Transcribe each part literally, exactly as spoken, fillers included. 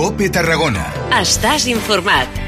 COPE Tarragona. Estàs informat.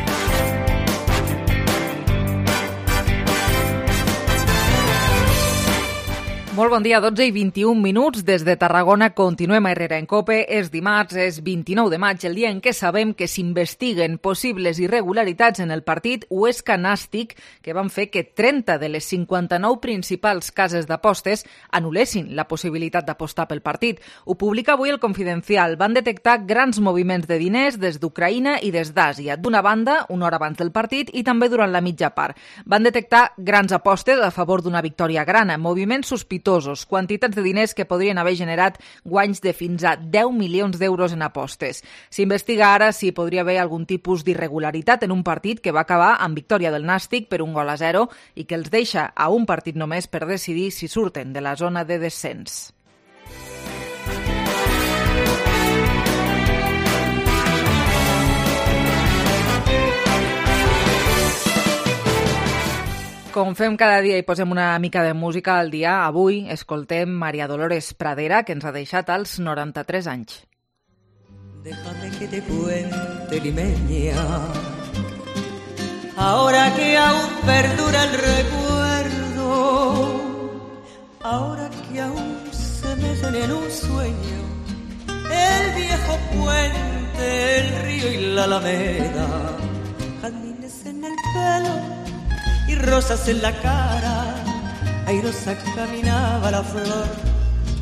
Molt bon dia, dotze i vint-i-un minuts. Des de Tarragona continuem a Herrera en COPE. És dimarts, és vint-i-nou de maig, el dia en què sabem que s'investiguen possibles irregularitats en el partit Huesca Nàstic que van fer que trenta de les cinquanta-nou principals cases d'apostes anul·lessin la possibilitat d'apostar pel partit. Ho publica avui el Confidencial. Van detectar grans moviments de diners des d'Ucraïna i des d'Àsia. D'una banda, una hora abans del partit i també durant la mitja part. Van detectar grans apostes a favor d'una victòria grana, moviments sospitosos, quantitats de diners que podrien haver generat guanys de fins a deu milions d'euros en apostes. S'investiga ara si podria haver algun tipus d'irregularitat en un partit que va acabar amb victòria del Nàstic per un gol a zero i que els deixa a un partit només per decidir si surten de la zona de descens. Com fem cada dia i posem una mica de música al dia, avui escoltem María Dolores Pradera, que ens ha deixat als noranta-tres anys. Déjame que te cuente, limeña, ahora que aún perdura el recuerdo, ahora que aún se mecen en un sueño el viejo puente, el río y la alameda, jardines en el pelo y rosas en la cara, airosa caminaba la flor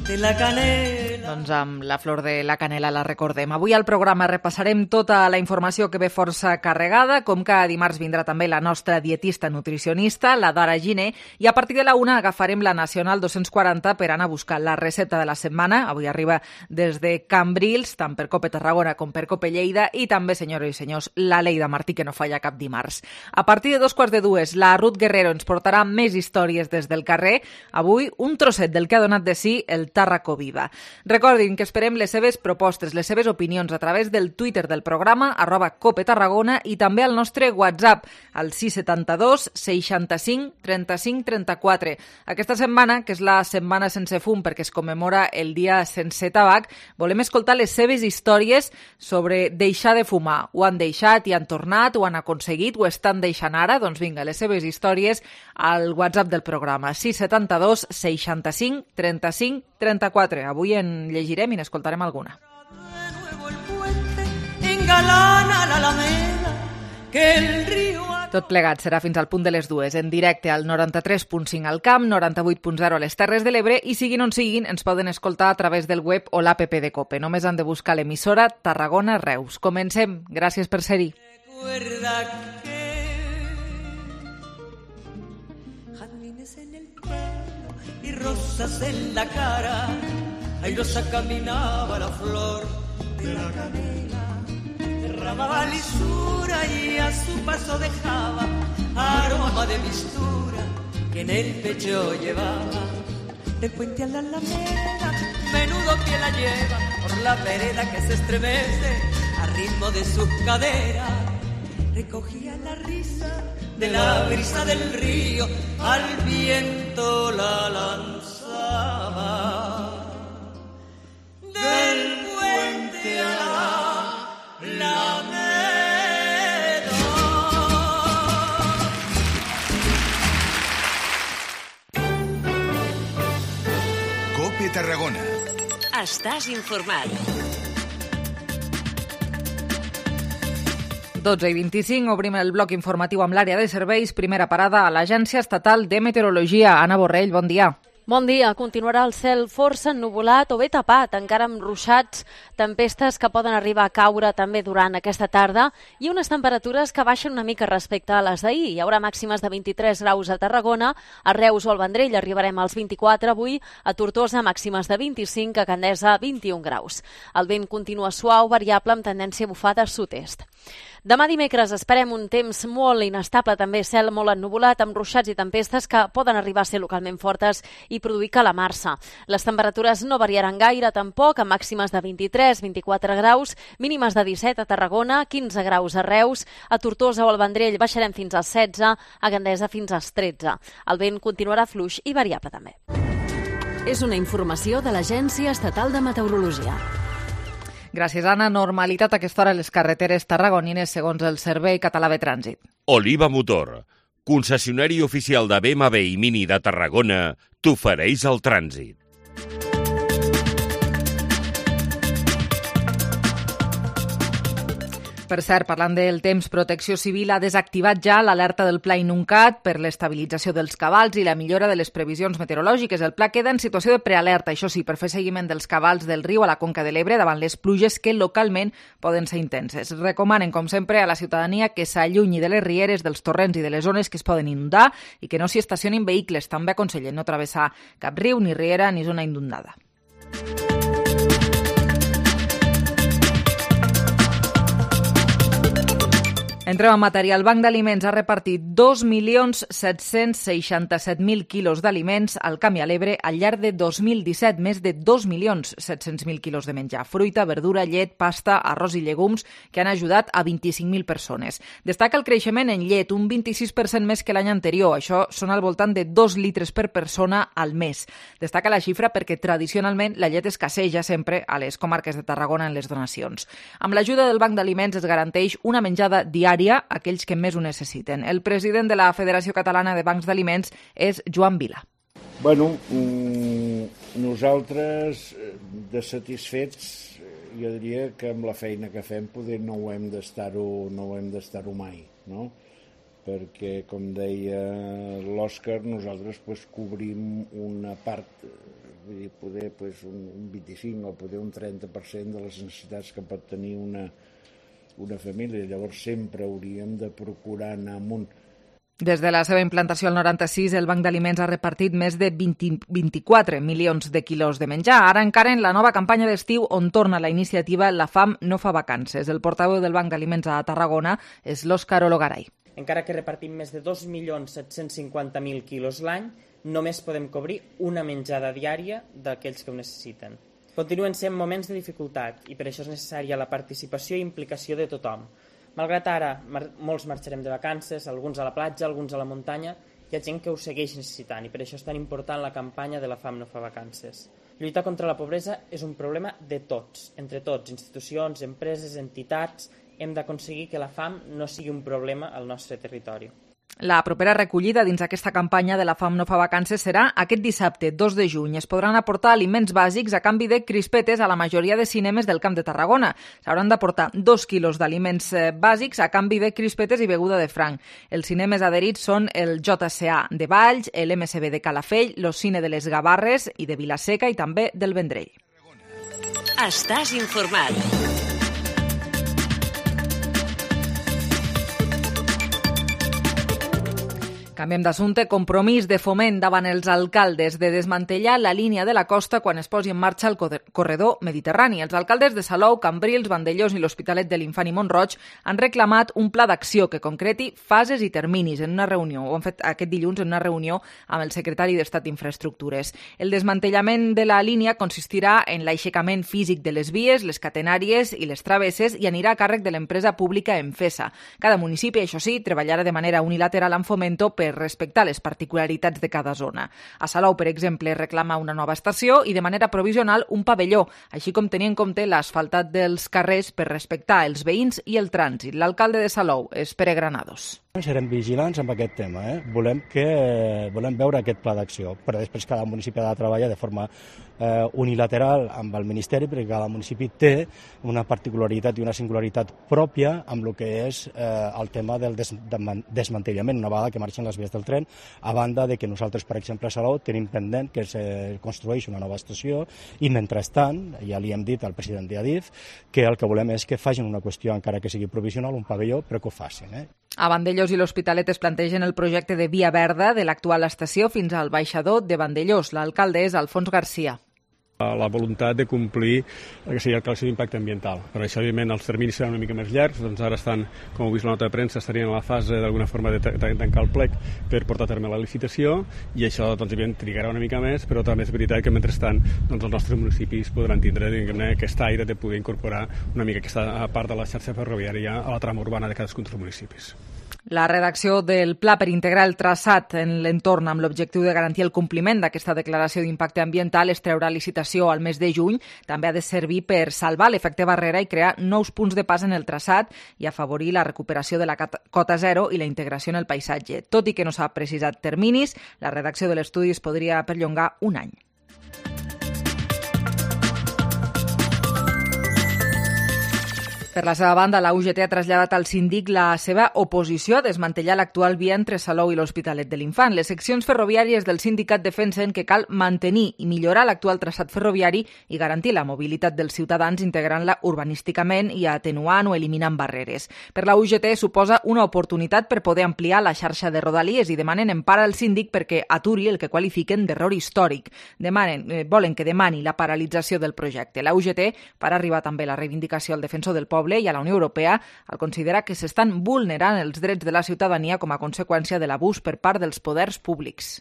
de la canela. Doncs amb la flor de la canela la recordem. Avui al programa repassarem tota la informació que ve força carregada, com cada dimarts vindrà també la nostra dietista nutricionista, la Dara Giner, i a partir de la una agafarem la Nacional dos-cents quaranta per anar a buscar la recepta de la setmana. Avui arriba des de Cambrils, tant per COPE Tarragona com per COPE Lleida, i també, senyores i senyors, la Leida Martí, que no falla cap dimarts. A partir de dos quarts de dues, la Ruth Guerrero ens portarà més històries des del carrer. Avui, un trosset del que ha donat de si el Tàrraco Viva. Recordin que esperem les seves propostes, les seves opinions a través del Twitter del programa, arroba COPE Tarragona, i també al nostre WhatsApp, al sis setanta dos seixanta-cinc trenta-cinc trenta-quatre. Aquesta setmana, que és la setmana sense fum perquè es commemora el dia sense tabac, volem escoltar les seves històries sobre deixar de fumar. Ho han deixat i han tornat, ho han aconseguit, ho estan deixant ara? Doncs vinga, les seves històries al WhatsApp del programa, sis setanta dos seixanta-cinc trenta-cinc trenta-quatre. Avui en llegirem i n'escoltarem alguna. Tot plegat serà fins al punt de les dues, en directe al noranta-tres punt cinc al Camp, noranta-vuit punt zero a les Terres de l'Ebre, i siguin on siguin, ens poden escoltar a través del web o l'app de COPE. Només han de buscar l'emissora Tarragona Reus. Comencem. Gràcies per ser-hi. Y rosas en la cara, airosa caminaba la flor de la canela, derramaba lisura y a su paso dejaba aroma de mistura que en el pecho llevaba. Del puente a la alameda, menudo que la lleva por la vereda que se estremece a ritmo de sus caderas. Recogía la risa de la brisa del río, al viento la lanzaba. Del puente a la alameda. COPE Tarragona. Estàs informat. dotze i vint-i-cinc, obrim el bloc informatiu amb l'àrea de serveis. Primera parada a l'Agència Estatal de Meteorologia. Anna Borrell, bon dia. Bon dia. Continuarà el cel força ennuvolat o bé tapat, encara amb ruixats, tempestes que poden arribar a caure també durant aquesta tarda i unes temperatures que baixen una mica respecte a les d'ahir. Hi haurà màximes de vint-i-tres graus a Tarragona, a Reus o al Vendrell arribarem als vint-i-quatre avui, a Tortosa màximes de vint-i-cinc, a Candesa vint-i-un graus. El vent continua suau, variable amb tendència a bufar de sud-est. Demà dimecres esperem un temps molt inestable, també cel molt ennuvolat, amb ruixats i tempestes que poden arribar a ser localment fortes i produir calamarsa. Les temperatures no variaran gaire tampoc, amb màximes de vint-i-tres vint-i-quatre graus, mínimes de disset a Tarragona, quinze graus a Reus, a Tortosa o al Vendrell baixarem fins als setze, a Gandesa fins als tretze. El vent continuarà fluix i variable també. És una informació de l'Agència Estatal de Meteorologia. Gràcies, Anna. Normalitat a aquesta hora a les carreteres tarragonines segons el Servei Català de Trànsit. Oliva Motor, concessionari oficial de B M W i Mini de Tarragona, t'ofereix el trànsit. Per cert, parlant del temps, Protecció Civil ha desactivat ja l'alerta del Pla Inuncat per l'estabilització dels cabals i la millora de les previsions meteorològiques. El pla queda en situació de prealerta, això sí, per fer seguiment dels cabals del riu a la Conca de l'Ebre davant les pluges que localment poden ser intenses. Recomanen, com sempre, a la ciutadania que s'allunyi de les rieres, dels torrents i de les zones que es poden inundar i que no s'hi estacionin vehicles. També aconsellen no travessar cap riu, ni riera, ni zona inundada. Entrem en matèria. El Banc d'Aliments ha repartit dos milions set-cents seixanta-set mil quilos d'aliments al Camp i a l'Ebre al llarg de dos mil disset, més de dos milions set-cents mil quilos de menjar. Fruita, verdura, llet, pasta, arròs i llegums que han ajudat a vint-i-cinc mil persones. Destaca el creixement en llet, un vint-i-sis per cent més que l'any anterior. Això són al voltant de dos litres per persona al mes. Destaca la xifra perquè tradicionalment la llet escasseja sempre a les comarques de Tarragona en les donacions. Amb l'ajuda del Banc d'Aliments es garanteix una menjada diària a aquells que més ho necessiten. El president de la Federació Catalana de Bancs d'Aliments és Joan Vila. Bueno, nosaltres de satisfets, jo diria que amb la feina que fem poder no ho hem d'estar-ho no ho hem d'estar-ho mai, no? Perquè, com deia l'Òscar, nosaltres pues, cobrim una part, vull dir, poder pues, un vint-i-cinc o poder un trenta per cent de les necessitats que pot tenir una una família, llavors sempre hauríem de procurar anar amunt. Des de la seva implantació al noranta-sis, el Banc d'Aliments ha repartit més de vint, vint-i-quatre milions de quilos de menjar. Ara encara en la nova campanya d'estiu on torna la iniciativa La Fam no fa vacances. El portaveu del Banc d'Aliments a Tarragona és l'Òscar Ologaray. Encara que repartim més de dos milions set-cents cinquanta mil quilos l'any, només podem cobrir una menjada diària d'aquells que ho necessiten. Continuen sent moments de dificultat i per això és necessària la participació i implicació de tothom. Malgrat ara, mar- molts marxarem de vacances, alguns a la platja, alguns a la muntanya, hi ha gent que ho segueix necessitant i per això és tan important la campanya de La Fam no fa vacances. Lluitar contra la pobresa és un problema de tots, entre tots, institucions, empreses, entitats. Hem d'aconseguir que la fam no sigui un problema al nostre territori. La propera recollida dins aquesta campanya de La Fam no fa vacances serà aquest dissabte, dos de juny. Es podran aportar aliments bàsics a canvi de crispetes a la majoria de cinemes del Camp de Tarragona. S'hauran d'aportar dos quilos d'aliments bàsics a canvi de crispetes i beguda de franc. Els cinemes adherits són el J C A de Valls, l'M C B de Calafell, l'Ocine de les Gavarres i de Vilaseca i també del Vendrell. Estàs informat. Canviem d'assumpte. Compromís de Foment davant els alcaldes de desmantellar la línia de la costa quan es posi en marxa el corredor mediterrani. Els alcaldes de Salou, Cambrils, Vandellòs i l'Hospitalet de l'Infant i Mont-roig han reclamat un pla d'acció que concreti fases i terminis en una reunió. Ho han fet aquest dilluns en una reunió amb el secretari d'Estat d'Infraestructures. El desmantellament de la línia consistirà en l'aixecament físic de les vies, les catenàries i les travesses i anirà a càrrec de l'empresa pública Enfesa. Cada municipi, això sí, treballarà de manera unilateral amb Fomento per respectar les particularitats de cada zona. A Salou, per exemple, reclama una nova estació i de manera provisional un pavelló, així com tenir en compte l'asfaltat dels carrers per respectar els veïns i el trànsit. L'alcalde de Salou és Pere Granados. Serem vigilants amb aquest tema. Eh? Volem, que, volem veure aquest pla d'acció, però després cada municipi ha de treballar de forma eh, unilateral amb el Ministeri, perquè cada municipi té una particularitat i una singularitat pròpia amb el que és eh, el tema del des, de, desmantellament, una vegada que marxen les vies del tren, a banda de que nosaltres, per exemple, a Salou tenim pendent que es construeix una nova estació i, mentrestant, ja li hem dit al president d'Adif que el que volem és que facin una qüestió, encara que sigui provisional, un pavelló, però que ho facin. Eh? A Vandellòs i l'Hospitalet es plantegen el projecte de via verda de l'actual estació fins al baixador de Vandellòs. L'alcalde és Alfons Garcia. La voluntat de complir el que seria el calci d'impacte ambiental. Per això, evidentment, els terminis seran una mica més llargs, doncs ara estan, com heu vist la nota de premsa, estarien en la fase d'alguna forma de tancar el plec per portar a terme la licitació i això, doncs, evidentment, trigarà una mica més, però també és veritat que, mentrestant, doncs, els nostres municipis podran tindre, diguem-ne, aquest aire de poder incorporar una mica aquesta part de la xarxa ferroviària a la trama urbana de cadascun dels municipis. La redacció del pla per integrar el traçat en l'entorn amb l'objectiu de garantir el compliment d'aquesta declaració d'impacte ambiental es treurà licitació al mes de juny. També ha de servir per salvar l'efecte barrera i crear nous punts de pas en el traçat i afavorir la recuperació de la cota zero i la integració en el paisatge. Tot i que no s'ha precisat terminis, la redacció de l'estudi es podria perllongar un any. Per la seva banda, la U G T ha traslladat al síndic la seva oposició a desmantellar l'actual via entre Salou i l'Hospitalet de l'Infant. Les seccions ferroviàries del sindicat defensen que cal mantenir i millorar l'actual traçat ferroviari i garantir la mobilitat dels ciutadans integrant-la urbanísticament i atenuant o eliminant barreres. Per la U G T suposa una oportunitat per poder ampliar la xarxa de rodalies i demanen empara al síndic perquè aturi el que qualifiquen d'error històric. Demanen, eh, volen que demani la paralització del projecte. La U G T farà arribar també la reivindicació al defensor del poble i a la Unió Europea al considerar que s'estan vulnerant els drets de la ciutadania com a conseqüència de l'abús per part dels poders públics.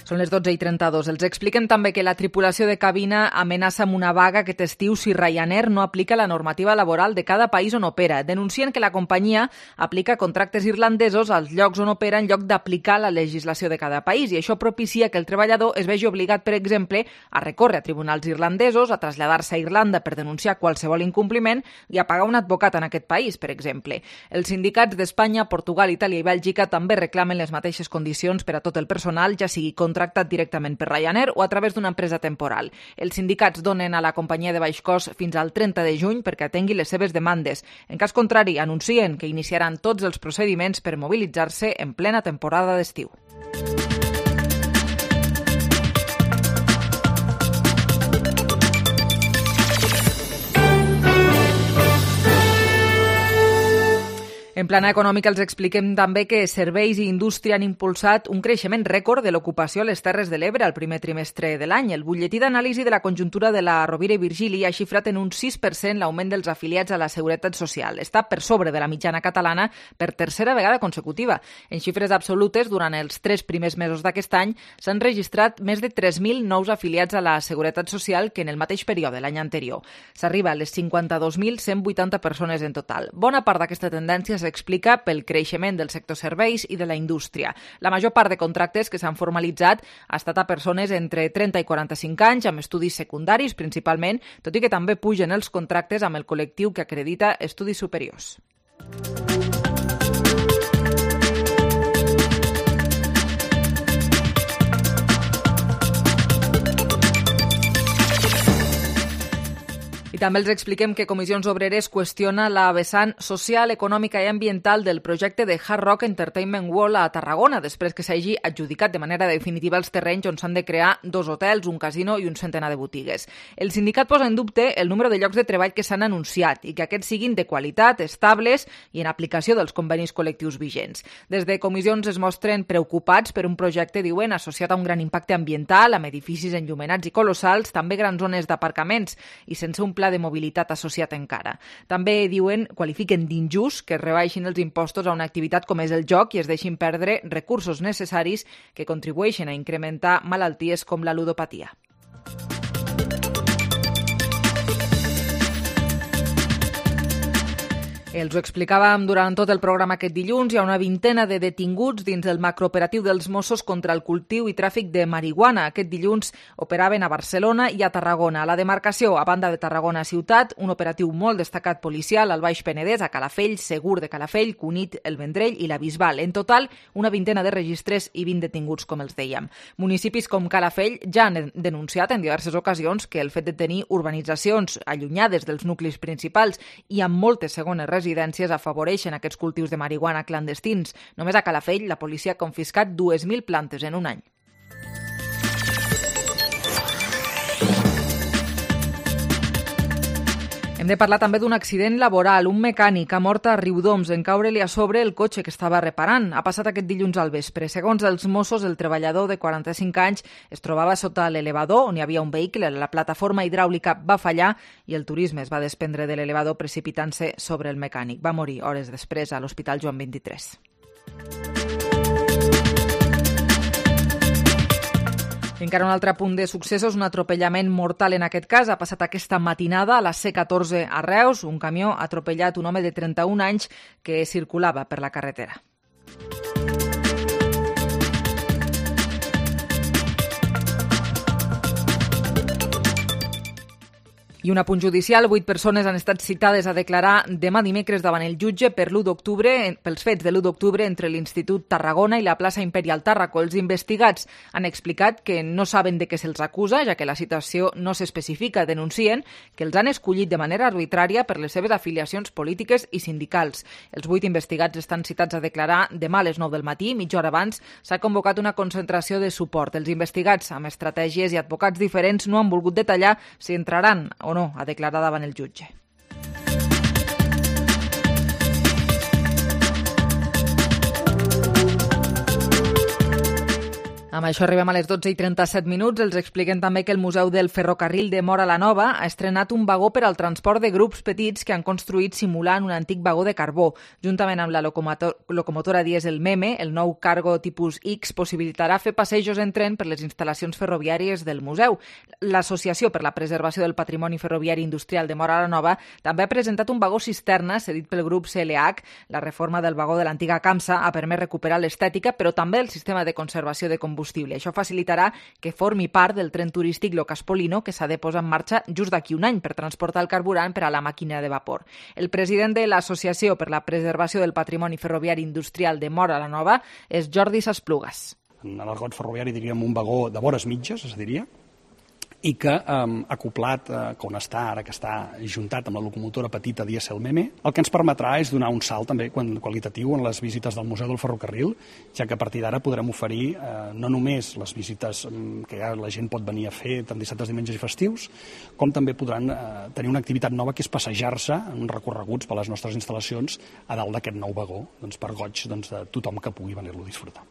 Són les dotze i trenta-dos. Els expliquem també que la tripulació de cabina amenaça amb una vaga aquest estiu si Ryanair no aplica la normativa laboral de cada país on opera. Denuncien que la companyia aplica contractes irlandesos als llocs on opera en lloc d'aplicar la legislació de cada país i això propicia que el treballador es vegi obligat, per exemple, a recórrer a tribunals irlandesos, a traslladar-se a Irlanda per denunciar qualsevol incompliment i a pagar un advocat en aquest país, per exemple. Els sindicats d'Espanya, Portugal, Itàlia i Bèlgica també reclamen les mateixes condicions per a tot el personal, ja sigui contractat directament per Ryanair o a través d'una empresa temporal. Els sindicats donen a la companyia de baix cost fins al trenta de juny perquè atengui les seves demandes. En cas contrari, anuncien que iniciaran tots els procediments per mobilitzar-se en plena temporada d'estiu. En plana econòmica els expliquem també que serveis i indústria han impulsat un creixement rècord de l'ocupació a les Terres de l'Ebre al primer trimestre de l'any. El butlletí d'anàlisi de la conjuntura de la Rovira i Virgili ha xifrat en un sis per cent l'augment dels afiliats a la Seguretat Social. Està per sobre de la mitjana catalana per tercera vegada consecutiva. En xifres absolutes, durant els tres primers mesos d'aquest any, s'han registrat més de tres mil nous afiliats a la Seguretat Social que en el mateix període l'any anterior. S'arriba a les cinquanta-dos mil cent vuitanta persones en total. Bona part d'aquesta tendència s'explica pel creixement del sector serveis i de la indústria. La major part de contractes que s'han formalitzat ha estat a persones entre trenta i quaranta-cinc anys, amb estudis secundaris principalment, tot i que també pugen els contractes amb el col·lectiu que acredita estudis superiors. I també els expliquem que Comissions Obreres qüestiona la vessant social, econòmica i ambiental del projecte de Hard Rock Entertainment World a Tarragona, després que s'hagi adjudicat de manera definitiva els terrenys on s'han de crear dos hotels, un casino i un centenar de botigues. El sindicat posa en dubte el número de llocs de treball que s'han anunciat i que aquests siguin de qualitat, estables i en aplicació dels convenis col·lectius vigents. Des de Comissions es mostren preocupats per un projecte, diuen, associat a un gran impacte ambiental, amb edificis enllumenats i colossals, també grans zones d'aparcaments i sense un pla de mobilitat associat encara. També, diuen, qualifiquen d'injust que es rebaixin els impostos a una activitat com és el joc i es deixin perdre recursos necessaris que contribueixen a incrementar malalties com la ludopatia. Els ho explicàvem durant tot el programa aquest dilluns. Hi ha una vintena de detinguts dins del macrooperatiu dels Mossos contra el cultiu i tràfic de marihuana. Aquest dilluns operaven a Barcelona i a Tarragona. A la demarcació, a banda de Tarragona ciutat, un operatiu molt destacat policial al Baix Penedès, a Calafell, Segur de Calafell, Cunit, el Vendrell i la Bisbal. En total, una vintena de registres i vint detinguts, com els dèiem. Municipis com Calafell ja han denunciat en diverses ocasions que el fet de tenir urbanitzacions allunyades dels nuclis principals i amb moltes segones residències residències afavoreixen aquests cultius de marihuana clandestins. Només a Calafell la policia ha confiscat dues mil plantes en un any. Hem de parlar també d'un accident laboral. Un mecànic ha mort a Riudoms en caure-li a sobre el cotxe que estava reparant. Ha passat aquest dilluns al vespre. Segons els Mossos, el treballador de quaranta-cinc anys es trobava sota l'elevador on hi havia un vehicle. La plataforma hidràulica va fallar i el turisme es va desprendre de l'elevador precipitant-se sobre el mecànic. Va morir hores després a l'Hospital Joan vint-i-tres. Encara un altre punt de successos, un atropellament mortal en aquest cas. Ha passat aquesta matinada a la C catorze a Reus. Un camió ha atropellat un home de trenta-un anys que circulava per la carretera. I un apunt judicial, vuit persones han estat citades a declarar demà dimecres davant el jutge per l'u d'octubre, pels fets de l'u d'octubre entre l'Institut Tarragona i la plaça Imperial Tàrraco. Els investigats han explicat que no saben de què se'ls acusa, ja que la citació no s'especifica. Denuncien que els han escollit de manera arbitrària per les seves afiliacions polítiques i sindicals. Els vuit investigats estan citats a declarar demà a les nou del matí. Mitja hora abans s'ha convocat una concentració de suport. Els investigats, amb estratègies i advocats diferents, no han volgut detallar si entraran o no a declarar davant el jutge. Amb això arribem a les dotze i trenta-set minuts. Els expliquem també que el Museu del Ferrocarril de Móra la Nova ha estrenat un vagó per al transport de grups petits que han construït simulant un antic vagó de carbó. Juntament amb la locomotor locomotora dièsel Meme, el nou Cargo tipus X possibilitarà fer passejos en tren per les instal·lacions ferroviàries del museu. L'Associació per la Preservació del Patrimoni Ferroviari Industrial de Móra la Nova també ha presentat un vagó cisterna cedit pel grup C L H. La reforma del vagó de l'antiga Camsa ha permès recuperar l'estètica, però també el sistema de conservació de combustible. Això facilitarà que formi part del tren turístic Locaspolino, que s'ha de posar en marxa just d'aquí un any per transportar el carburant per a la màquina de vapor. El president de l'Associació per la Preservació del Patrimoni Ferroviari Industrial de Móra la Nova és Jordi Sasplugas. En l'argot ferroviari diríem un vagó de vores mitges, es diria, i que eh, acoplat, eh, on està ara, que està juntat amb la locomotora petita dièsel Meme, el que ens permetrà és donar un salt també qualitatiu en les visites del Museu del Ferrocarril, ja que a partir d'ara podrem oferir eh, no només les visites que ja la gent pot venir a fer tant dissabtes, diumenges i festius, com també podran eh, tenir una activitat nova que és passejar-se en recorreguts per les nostres instal·lacions a dalt d'aquest nou vagó, doncs, per goig doncs, de tothom que pugui venir-lo a disfrutar.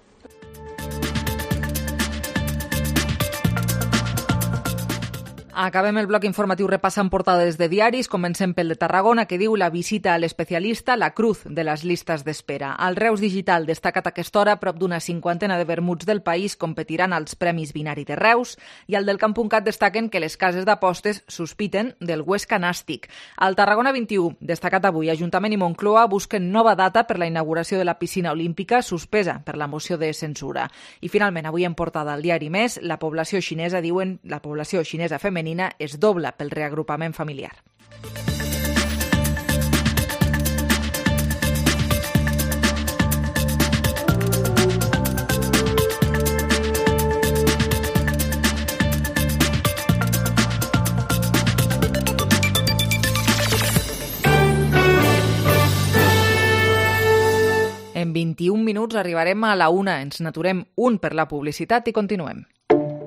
Acabem el bloc informatiu repassant portades de diaris. Comencem pel de Tarragona, que diu la visita a l'especialista, la cruz de les llistes d'espera. Al Reus Digital, destacat a aquesta hora, prop d'una cinquantena de vermuts del país competiran als Premis Binari de Reus, i al del Camp.cat destaquen que les cases d'apostes sospiten del Huesca Nàstic. Al Tarragona vint-i-u, destacat avui, Ajuntament i Moncloa busquen nova data per la inauguració de la piscina olímpica suspesa per la moció de censura. I finalment, avui en portada al diari Més, la població xinesa, diuen, la població xinesa femenina es dobla pel reagrupament familiar. En vint-i-un minuts arribarem a la una. Ens n'aturem un per la publicitat i continuem.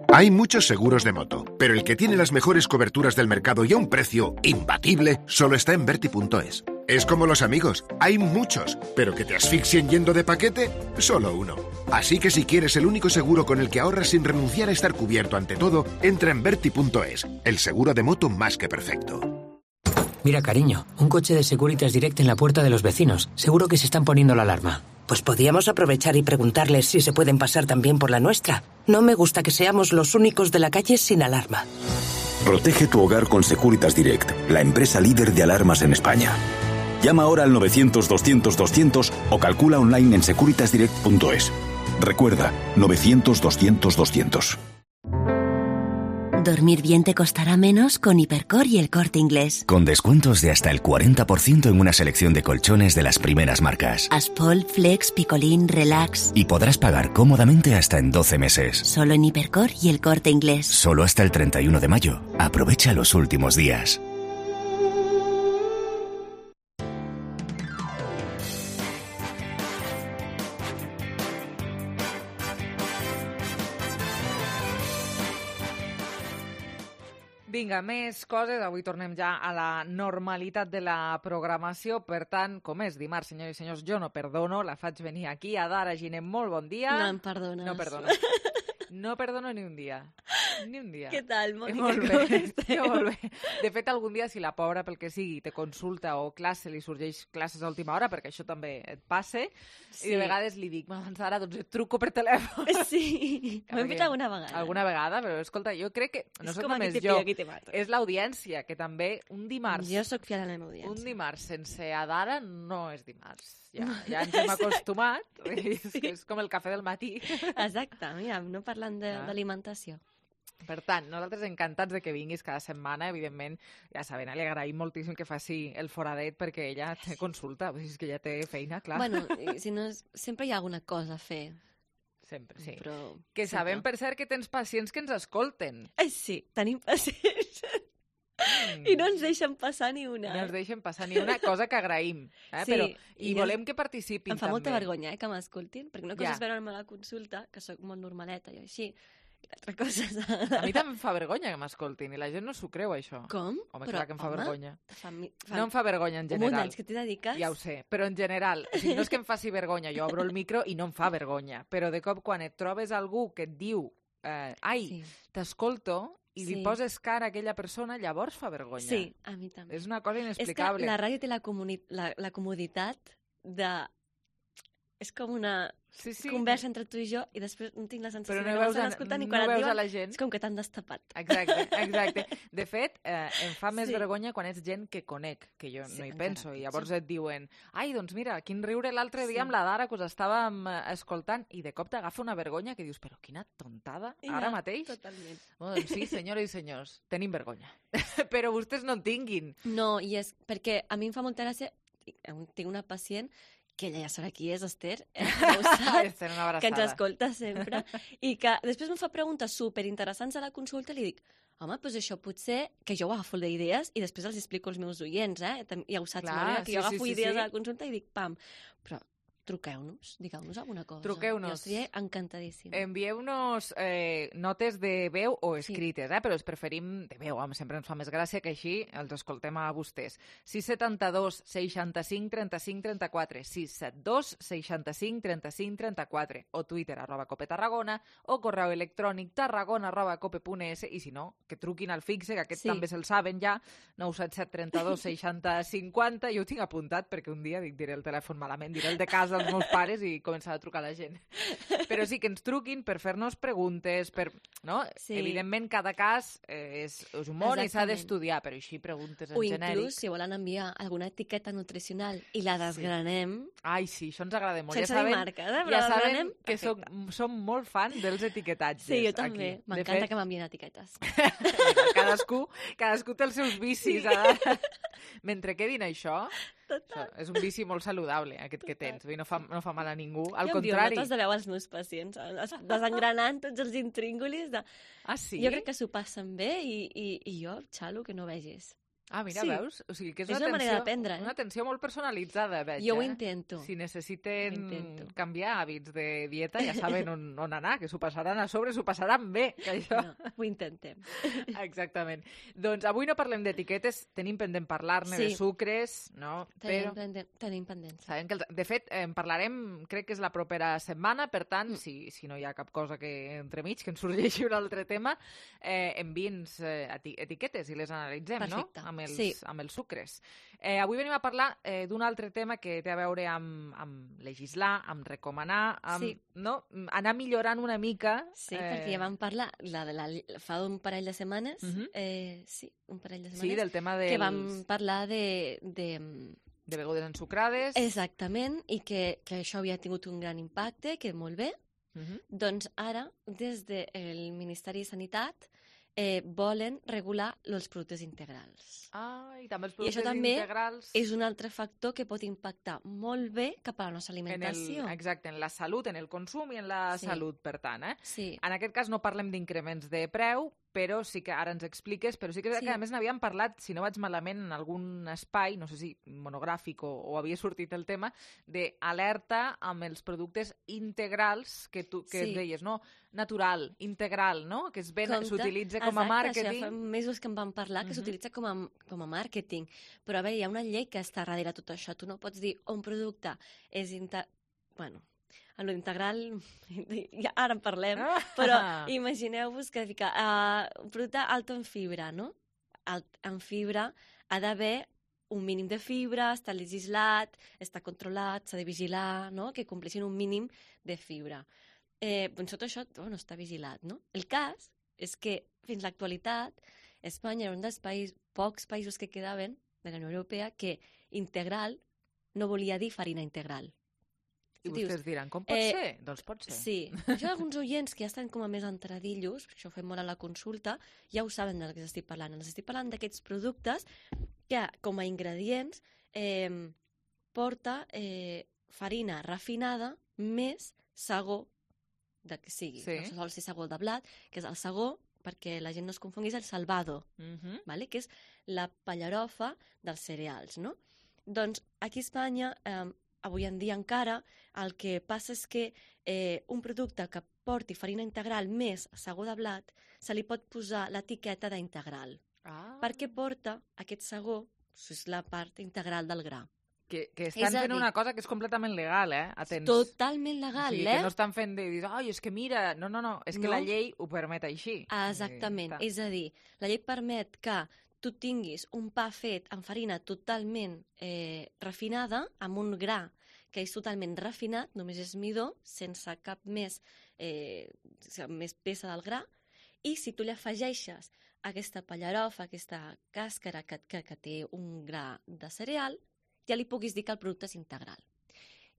Hay muchos seguros de moto, pero el que tiene las mejores coberturas del mercado y a un precio imbatible solo está en Verti punto es. Es como los amigos, hay muchos, pero que te asfixien yendo de paquete, solo uno. Así que si quieres el único seguro con el que ahorras sin renunciar a estar cubierto ante todo, entra en Verti punto es, el seguro de moto más que perfecto. Mira, cariño, un coche de Securitas Direct en la puerta de los vecinos. Seguro que se están poniendo la alarma. Pues podríamos aprovechar y preguntarles si se pueden pasar también por la nuestra. No me gusta que seamos los únicos de la calle sin alarma. Protege tu hogar con Securitas Direct, la empresa líder de alarmas en España. Llama ahora al novecientos doscientos doscientos o calcula online en securitas direct punto es. Recuerda, novecientos doscientos doscientos. Dormir bien te costará menos con Hipercor y El Corte Inglés. Con descuentos de hasta el cuarenta por ciento en una selección de colchones de las primeras marcas. Aspol, Flex, Picolín, Relax. Y podrás pagar cómodamente hasta en doce meses. Solo en Hipercor y El Corte Inglés. Solo hasta el treinta y uno de mayo. Aprovecha los últimos días. Vinga, més coses. Avui tornem ja a la normalitat de la programació. Per tant, com és dimarts, senyors i senyors, jo no perdono. La faig venir aquí. Adara Giner, molt bon dia. No em perdones. No perdones. No perdono ni un dia. Ni un dia. Què tal, Mònica? Molt Com bé. estem? Molt bé. De fet, algun dia, si la pobra, pel que sigui, te consulta o classe, li sorgeix classes a última hora, perquè això també et passa, Sí. i de vegades li dic, doncs ara doncs et truco per telèfon. Sí, ho hem fet alguna vegada. Alguna vegada, però escolta, jo crec que no És soc com només aquí te jo, pillo, aquí te mato. és l'audiència, que també un dimarts... Jo sóc fiel a la meva audiència. Un dimarts sense Adara no és dimarts. Ja, No. ja ens hem acostumat. Sí. És, que és com el cafè del matí. Exacte, mira, no parlant de- Ah. d'alimentació. Per tant, nosaltres encantats de que vinguis cada setmana, evidentment, ja saben, li agraïm moltíssim que faci el foradet perquè ella té consulta, vull dir, és que ja té feina, clar. Bueno, i si no, és- sempre hi ha alguna cosa a fer. Sempre, sí. Però, Que sempre. sabem, per cert, que tens pacients que ens escolten. Ai, sí, tenim pacients. I no ens deixen passar ni una. No ens deixen passar ni una cosa que agraïm. Eh? Sí, Però, i I jo- volem que participin Em fa molta també. vergonya, eh, que m'escoltin, perquè una cosa Ja. és veure'm a la consulta, que sóc molt normaleta i així, i l'altra cosa és... A mi també em fa vergonya que m'escoltin i la gent no s'ho creu, això. Com? Home, Però, clar que em fa home, vergonya. Fa, mi- fa... No em fa vergonya en Un munt general. d'anys que t'hi dediques. Ja ho sé, però en general, o sigui, no és que em faci vergonya, jo obro el micro i no em fa vergonya, però de cop quan et trobes algú que et diu eh, ai, Sí. t'escolto, i li Sí. poses cara a aquella persona, llavors fa vergonya. Sí, a mi també. És una cosa És que inexplicable. la ràdio té la, comuni... la, la comoditat de... És com una sí, sí. conversa entre tu i jo i després no tinc la sensació Però no de que veus m'estan a- escoltant i no quan et veus diuen a la gent. és com que t'han destapat. Exacte, exacte. De fet, eh, em fa més Sí. vergonya quan ets gent que conec, que jo Sí, no hi encara penso, i pitjor. llavors et diuen ai, doncs mira, quin riure l'altre Sí. dia amb la Dara, que us estàvem eh, escoltant, i de cop t'agafa una vergonya que dius, però quina tontada, ara Ja, mateix? Totalment. Bueno, doncs sí, senyores i senyors, tenim vergonya. Però vostès no en tinguin. No, i és perquè a mi em fa molta gràcia, tinc una pacient que ella ja sabrà qui és, Esther, eh, ja ho sap, Esther, una abraçada. que ens escolta sempre, i que després em fa preguntes superinteressants a la consulta i li dic, home, doncs això potser que jo ho agafo d'idees i després els explico als meus oients, eh? Tam- Ja ho saps, Clar, Mònica, que sí, jo sí, agafo sí, idees sí. a la consulta i dic, pam, però truqueu-nos, digueu-nos alguna cosa. Truqueu-nos. Jo estaria encantadíssima. Envieu-nos eh, notes de veu o escrites, eh? Però els preferim de veu, home, sempre ens fa més gràcia que així els escoltem a vostès. sis setanta dos seixanta-cinc trenta-cinc trenta-quatre, sis set dos seixanta-cinc trenta-cinc trenta-quatre, o Twitter arroba cope Tarragona, o correu electrònic tarragona arroba cope punt es, i si no, que truquin al fixe, que aquest Sí. també se'l saben ja, nou set set trenta-dos seixanta cinquanta, jo ho tinc apuntat perquè un dia dic, diré el telèfon malament, diré el de casa dels meus pares i començar a trucar a la gent. Però sí que ens truquin per fer-nos preguntes, per... No? Sí. Evidentment, cada cas eh, és, és un món i s'ha Exactament. d'estudiar, però així preguntes en O genèric. inclús, si volen enviar alguna etiqueta nutricional i la desgranem, Ai, sí, això ens agrada molt. Sense ja saben, dir marques, eh, però ja saben desgranem, que som, som molt fan dels etiquetatges. sí, jo també. aquí. De M'encanta fet, que m'envien etiquetes. cadascú, cadascú té els seus vicis. Sí. Ara. Mentre quedin això, això, és un vici molt saludable, aquest que tens. Vull dir, No fa, no fa mal a ningú. Al jo envio contrari. notes de veu als meus pacients, es- desengranant tots els intríngulis. De... Ah, sí? Jo crec que s'ho passen bé i, i, i jo xalo que no vegis. Ah, mira, Sí. veus? O sigui, que és, És una, una manera atenció, d'aprendre, eh? una atenció molt personalitzada, veig. Jo ho eh? intento. Si necessiten Ho intento. canviar hàbits de dieta, ja saben on, on anar, que s'ho passaran a sobre, s'ho passaran bé, que això... No, ho intentem. Exactament. Doncs avui no parlem d'etiquetes, tenim pendent parlar-ne Sí. de sucres, no? Tenim, Però pendent, tenim pendents. sabem que, els, de fet, en parlarem, crec que és la propera setmana, per tant, mm. si, si no hi ha cap cosa que entremig, que ens sorgeixi un altre tema, eh, enviï'ns eh, eti etiquetes i les analitzem, Perfecte. no? Amb els, Sí. amb els sucres. Eh, avui venim a parlar eh, d'un altre tema que té a veure amb, amb legislar, amb recomanar, amb Sí. no? anar millorant una mica. Sí, eh... perquè ja vam parlar la, de la, fa un parell de setmanes, Mhm. eh, sí, un parell de Sí, setmanes, del tema dels... que vam parlar de... de de begudes ensucrades. Exactament, i que, que això havia tingut un gran impacte, que molt bé. Mhm. Doncs ara, des del Ministeri de Sanitat, eh, volen regular els productes integrals. Ah, i també els I productes això també integrals... és un altre factor que pot impactar molt bé cap a la nostra En alimentació. el, exacte, en la salut, en el consum i en la Sí. salut, per tant. Eh? Sí. En aquest cas no parlem d'increments de preu, però sí que ara ens expliques, però sí que, Sí. que a més n'havíem parlat, si no vaig malament, en algun espai, no sé si monogràfic o, o havia sortit el tema, d'alerta amb els productes integrals que tu que Sí. deies, no? Natural, integral, no? Que es ven, Compte. s'utilitza com a Exacte, màrqueting. Això ja fa mesos que en vam parlar, que Mhm. s'utilitza com, a, com a màrqueting. Però a veure, hi ha una llei que està darrere tot això. Tu no pots dir un producte és inter... Bueno, En l'integral, ja, ara en parlem, però imagineu-vos que fica uh, un producte alto en fibra, no? Alt, en fibra ha d'haver un mínim de fibra, està legislat, està controlat, s'ha de vigilar, no? Que compleixin un mínim de fibra. Eh, doncs tot això bueno, està vigilat, no? El cas és que fins l'actualitat Espanya era un dels països, pocs països que quedaven de la Unió Europea que integral no volia dir farina integral. I vostès diran, com pot eh, ser? Doncs pot ser. Sí. Això alguns oients que ja estan com a més entradillos, perquè això ho fem molt a la consulta, ja ho saben del que estic parlant. Els estic parlant d'aquests productes que, com a ingredients, eh, porta eh, farina refinada més sagó de que sigui. Sí. No sol ser sagó de blat, que és el sagó, perquè la gent no es confongui, és el salvado, uh-huh. vale? Que és la pallarofa dels cereals, no? Doncs aquí a Espanya... Eh, avui en dia encara, el que passa és que eh, un producte que porti farina integral més sagó de blat, se li pot posar l'etiqueta d'integral. Ah. Perquè porta aquest sagó, és la part integral del gra. Que, que estan fent dir, una cosa que és completament legal, eh? Atents. Totalment legal, o sigui, eh? Que no estan fent de dir, ai, és que mira... No, no, no, és que no. La llei ho permet així. Exactament, I, és a dir, la llei permet que tu tinguis un pa fet amb farina totalment eh, refinada, amb un gra que és totalment refinat, només és midó, sense cap més, eh, més peça del gra, i si tu li afegeixes aquesta pallarofa, aquesta càscara que, que, que té un gra de cereal, ja li puguis dir que el producte és integral.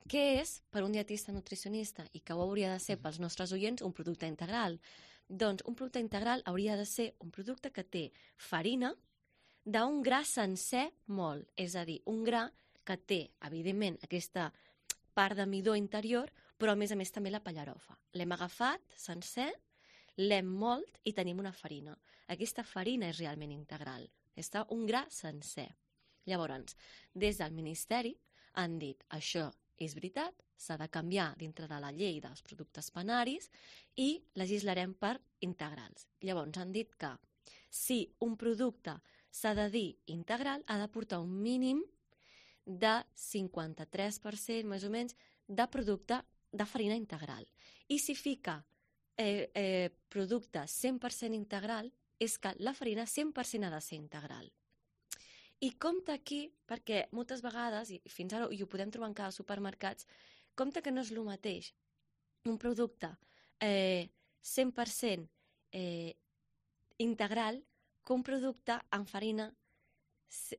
Què és, per un dietista nutricionista, i que ho hauria de ser pels nostres oients, un producte integral? Doncs un producte integral hauria de ser un producte que té farina d'un gra sencer molt, és a dir, un gra que té, evidentment, aquesta part de midó interior, però a més a més també la pallarofa. L'hem agafat sencer, l'hem molt i tenim una farina. Aquesta farina és realment integral. Està un gra sencer. Llavors, des del Ministeri han dit això és veritat, s'ha de canviar dintre de la llei dels productes panaris i legislarem per integrals. Llavors han dit que si un producte s'ha de dir integral, ha de portar un mínim de cinquanta-tres per cent, més o menys, de producte de farina integral. I si fica eh, eh, producte cent per cent integral, és que la farina cent per cent ha de ser integral. I compte aquí, perquè moltes vegades, i fins ara i ho podem trobar en cada supermercats, compte que no és el mateix un producte eh, cent per cent eh, integral que un producte amb farina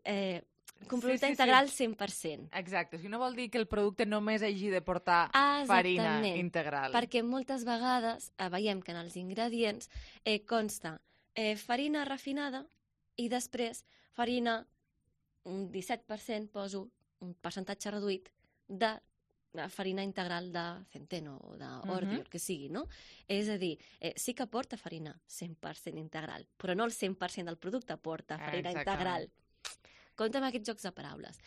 eh, que un producte sí, sí, integral sí. cent per cent. Exacte, o sigui, no vol dir que el producte només hagi de portar ah, farina integral. Perquè moltes vegades eh, veiem que en els ingredients eh, consta eh, farina refinada i després farina un disset per cent, poso un percentatge reduït de farina integral de centeno o d'ordi, uh-huh. el que sigui, no? És a dir, eh, sí que porta farina cent per cent integral, però no el cent per cent del producte porta farina Exactament. Integral. Compte amb aquests jocs de paraules.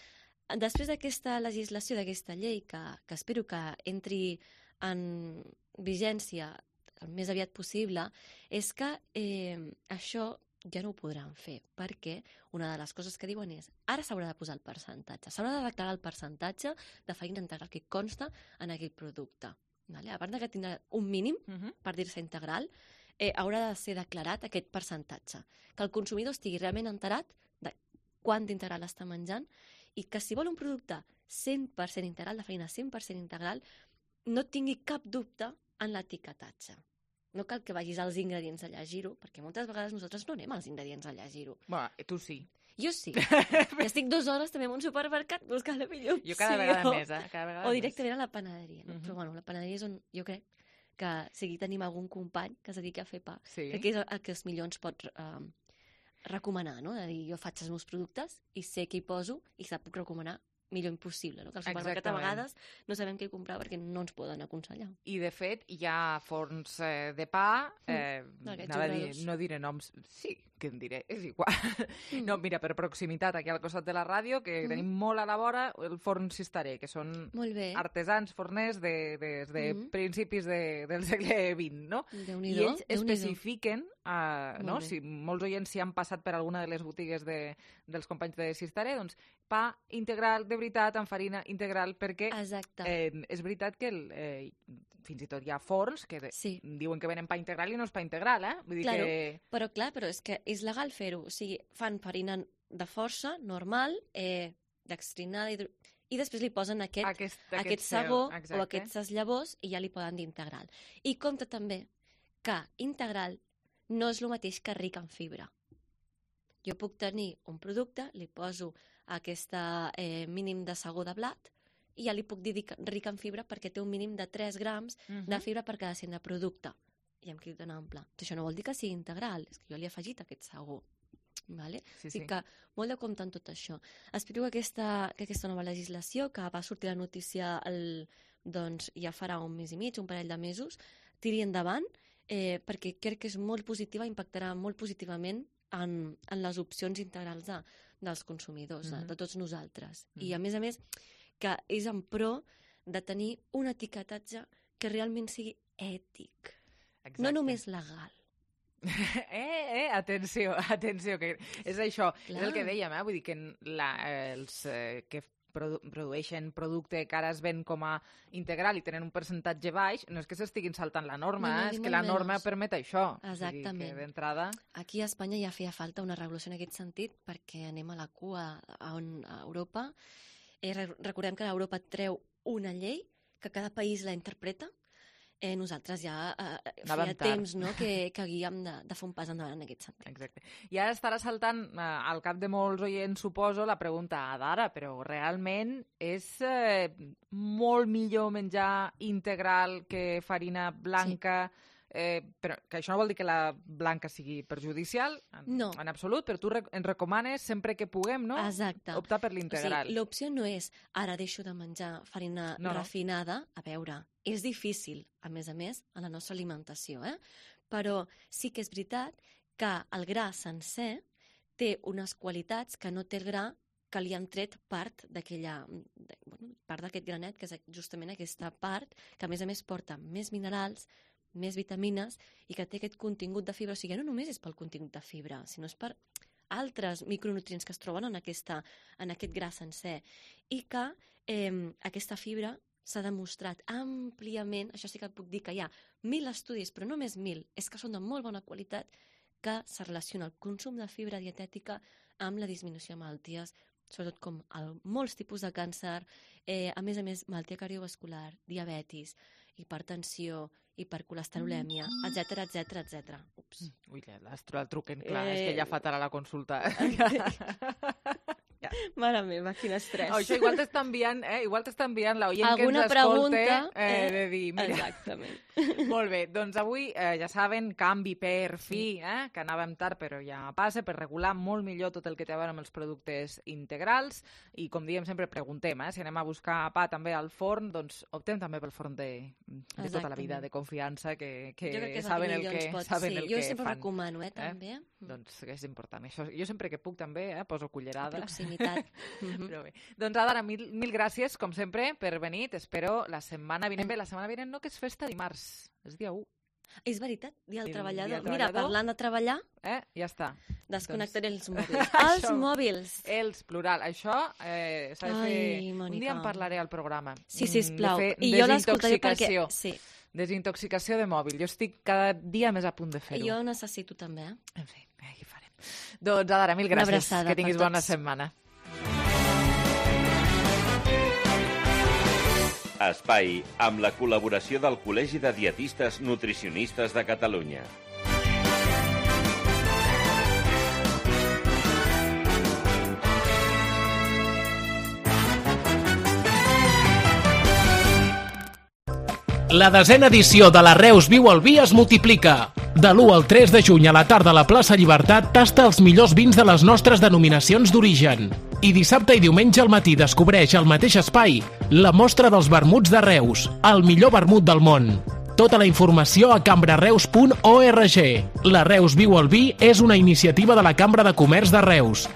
Després d'aquesta legislació, d'aquesta llei, que, que espero que entri en vigència el més aviat possible, és que eh, això ja no ho podran fer, perquè una de les coses que diuen és ara s'haurà de posar el percentatge, s'haurà de declarar el percentatge de farina integral que consta en aquell producte. Vale? A part que tindrà un mínim, uh-huh. per dir-se integral, eh, haurà de ser declarat aquest percentatge, que el consumidor estigui realment enterat de quant d'integral està menjant i que si vol un producte cent per cent integral, de farina cent per cent integral, no tingui cap dubte en l'etiquetatge. No cal que vagis als ingredients a llegir-ho, perquè moltes vegades nosaltres no anem als ingredients a llegir-ho. Bueno, tu sí. Jo sí. I estic dues hores també en un supermercat buscant la millor opció. Jo cada vegada més, eh? Cada vegada o directament més. A la panaderia. No? Uh-huh. Però bueno, la panaderia és on jo crec que si tenim algun company que es dediqui a fer pa, sí. perquè és el que els millor ens pot uh, recomanar, no? De dir, jo faig els meus productes i sé què hi poso i se puc recomanar millor impossible, no? Que al supermercat a vegades no sabem què comprar perquè no ens poden aconsellar. I, de fet, hi ha forns eh, de pa, eh, mm. a dir, no diré noms, sí, que en diré, és igual. Mm. No, mira, per proximitat, aquí al costat de la ràdio, que mm. tenim molt a la vora, el forn Cisteré, que són artesans forners de, de, de mm. principis de, del segle vint, no? I ells especifiquen uh, no? Si molts oients si han passat per alguna de les botigues de, dels companys de Sistare, doncs pa integral de veritat, amb farina integral, perquè eh, és veritat que el, eh, fins i tot hi ha forns que de, sí. diuen que venen pa integral i no és pa integral, eh? Vull dir claro, que... però clar, però és que és legal fer-ho, o sigui, fan farina de força, normal, eh, dextrinada, hidro... i després li posen aquest, aquest, aquest, aquest sagó o aquestes llavors i ja li poden dir integral. I compte també que integral no és el mateix que ric en fibra. Jo puc tenir un producte, li poso aquest eh, mínim de sagó de blat i ja li puc dir ric en fibra perquè té un mínim de tres grams uh-huh. de fibra per cada cent de producte. I em quedo tan ample. Això no vol dir que sigui integral, és que jo li he afegit aquest sagó. Vale? Sí, sí. Que molt de compte en tot això. Espero que aquesta, que aquesta nova legislació, que va sortir la notícia el, doncs, ja farà un mes i mig, un parell de mesos, tiri endavant, eh, perquè crec que és molt positiva, impactarà molt positivament en, en les opcions integrals de, dels consumidors, mm-hmm. de, de tots nosaltres. Mm-hmm. I a més a més, que és en pro de tenir un etiquetatge que realment sigui ètic, Exacte. no només legal. Eh, eh, atenció, atenció, que és això, Clar. és el que dèiem, eh? Vull dir que la, els eh, que produ produeixen producte que ara es ven com a integral i tenen un percentatge baix, no és que s'estiguin saltant la norma, no, no, eh? és que la norma menys. permet això. Exactament. O sigui, d'entrada... Aquí a Espanya ja feia falta una regulació en aquest sentit, perquè anem a la cua a, on, a Europa. Eh, recordem que Europa treu una llei, que cada país la interpreta. Eh, nosaltres ja eh, feia temps no, que, que havíem de, de fer un pas endavant en aquest sentit. Exacte. I ara estarà saltant eh, al cap de molts oients, suposo, la pregunta d'ara, però realment és eh, molt millor menjar integral que farina blanca, sí. eh, però que això no vol dir que la blanca sigui perjudicial, en, no. en absolut, però tu rec ens recomanes sempre que puguem, no? Exacte. Optar per l'integral. O sigui, l'opció no és ara deixo de menjar farina no, refinada, a veure... És difícil, a més a més, en la nostra alimentació, eh? Però sí que és veritat que el gra sencer té unes qualitats que no té el gra que li han tret part d'aquella, bueno, part d'aquest granet, que és justament aquesta part, que a més a més porta més minerals, més vitamines i que té aquest contingut de fibra. O sigui, no només és pel contingut de fibra, sinó és per altres micronutrients que es troben en, aquesta, en aquest gra sencer. I que eh, aquesta fibra s'ha demostrat àmpliament, això sí que et puc dir que hi ha mil estudis, però no més mil, és que són de molt bona qualitat, que se relaciona el consum de fibra dietètica amb la disminució de malalties, sobretot com el, molts tipus de càncer, eh, a més a més, malaltia cardiovascular, diabetis, hipertensió, hipercolesterolèmia, etcètera, etcètera, etcètera. Ups. Ui, el truquen, clar, eh... és que ja fa tard a la consulta. Ja. Mare meva, quin estrès. Oh, això igual t'està enviant, eh? igual t'està enviant l'oient que ens escolta eh, eh, de dir, mira. Exactament. Molt bé, doncs avui eh, ja saben, canvi per fi, eh? que anàvem tard però ja passa, per regular molt millor tot el que té a veure amb els productes integrals i com diem sempre preguntem, eh? si anem a buscar pa també al forn, doncs optem també pel forn de, de tota la vida, de confiança, que, que, que saben el que, pot, saben sí. el jo que sempre fan. recomano, eh, també. Eh? Doncs és important. Això, jo sempre que puc també eh, poso cullerada. Mm-hmm. Però bé. Doncs Adara, mil, mil gràcies, com sempre, per venir. T'espero la setmana vinent. Bé, la setmana vinent no, que és festa dimarts. És dia u. És veritat, dia del treballador. Dia del Mira, treballador. parlant de treballar... Eh, ja està. Desconnectaré doncs... els mòbils. Els això, mòbils. Els, plural. Això eh, s'ha de fer... Ai, Mònica. Un dia en parlaré al programa. Sí, sisplau. De I jo l'escoltaré perquè... Sí. Desintoxicació de mòbil. Jo estic cada dia més a punt de fer-ho. Jo necessito també. Eh? En fi, aquí farem. Doncs, Adara, mil gràcies. Que tinguis bona setmana. Espai amb la col·laboració del Col·legi de Dietistes Nutricionistes de Catalunya. La desena edició de la Reus Viu al Vi es multiplica. De l'u al tres de juny a la tarda a la plaça Llibertat tasta els millors vins de les nostres denominacions d'origen. I dissabte i diumenge al matí descobreix al mateix espai la mostra dels vermuts de Reus, el millor vermut del món. Tota la informació a cambrareus punt org. La Reus Viu al Vi és una iniciativa de la Cambra de Comerç de Reus,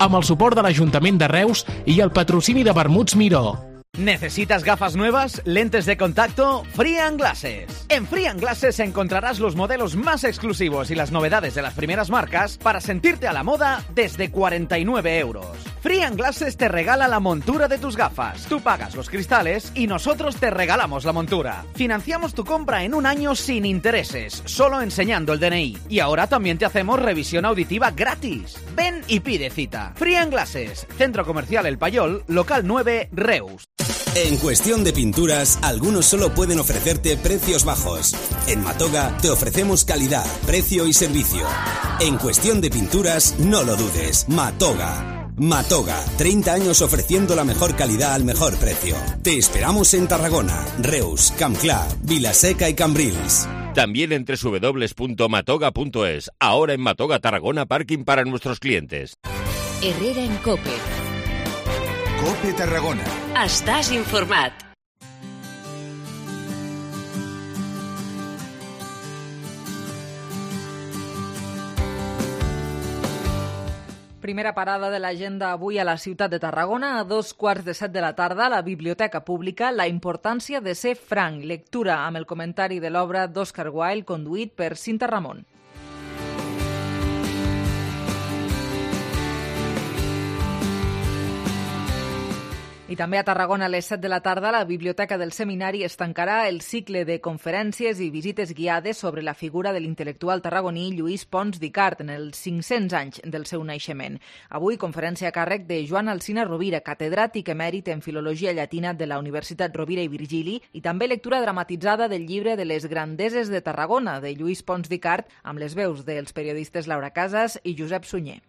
amb el suport de l'Ajuntament de Reus i el patrocini de Vermuts Miró. ¿Necesitas gafas nuevas? ¿Lentes de contacto? Free and Glasses. En Free and Glasses encontrarás los modelos más exclusivos y las novedades de las primeras marcas para sentirte a la moda desde cuarenta y nueve euros. Free and Glasses te regala la montura de tus gafas. Tú pagas los cristales y nosotros te regalamos la montura. Financiamos tu compra en un año sin intereses, solo enseñando el D N I. Y ahora también te hacemos revisión auditiva gratis. Ven y pide cita. Free and Glasses, Centro Comercial El Payol, local nueve, Reus. En cuestión de pinturas, algunos solo pueden ofrecerte precios bajos. En Matoga te ofrecemos calidad, precio y servicio. En cuestión de pinturas, no lo dudes. Matoga. Matoga, treinta años ofreciendo la mejor calidad al mejor precio. Te esperamos en Tarragona, Reus, Campclar, Vilaseca y Cambrils. También en doble u doble u doble u punto matoga punto es. Ahora en Matoga Tarragona, parking para nuestros clientes. Herrera en COPE. COPE Tarragona. Estàs informat. Primera parada de l'agenda avui a la ciutat de Tarragona. A dos quarts de set de la tarda, a la Biblioteca Pública, la importància de ser franc. Lectura amb el comentari de l'obra d'Oscar Wilde, conduït per Cinta Ramon. I també a Tarragona a les set de la tarda la Biblioteca del Seminari es tancarà el cicle de conferències i visites guiades sobre la figura de l'intel·lectual tarragoní Lluís Pons d'Icart en els cinc-cents anys del seu naixement. Avui, conferència a càrrec de Joan Alsina Rovira, catedràtic emèrit en Filologia Llatina de la Universitat Rovira i Virgili, i també lectura dramatitzada del llibre de les grandeses de Tarragona, de Lluís Pons d'Icart, amb les veus dels periodistes Laura Casas i Josep Sunyer.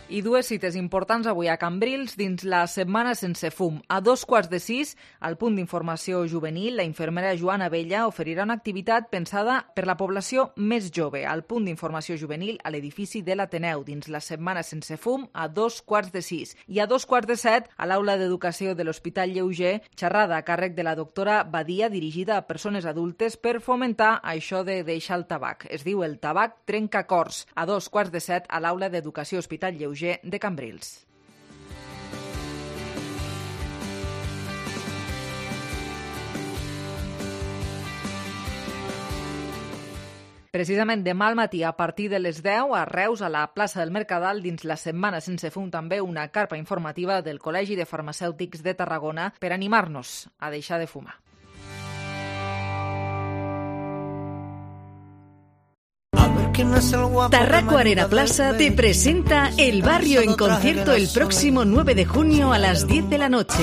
I dues cites importants avui a Cambrils dins la Setmana Sense Fum. A dos quarts de sis, al punt d'informació juvenil, la infermera Joana Abella oferirà una activitat pensada per la població més jove. Al punt d'informació juvenil a l'edifici de l'Ateneu, dins la Setmana Sense Fum, a dos quarts de sis. I a dos quarts de set, a l'Aula d'Educació de l'Hospital Lleuger, xerrada a càrrec de la doctora Badia, dirigida a persones adultes per fomentar això de deixar el tabac. Es diu El tabac trenca cors. A dos quarts de set, a l'Aula d'Educació Hospital Lleuger de Cambrils. Precisament demà al matí, a partir de les deu, a Reus, a la plaça del Mercadal, dins la Setmana Sense Fum, també una carpa informativa del Col·legi de Farmacèutics de Tarragona per animar-nos a deixar de fumar. Tarraco Arena Plaza te presenta El Barrio en concierto el próximo nueve de junio a las diez de la noche.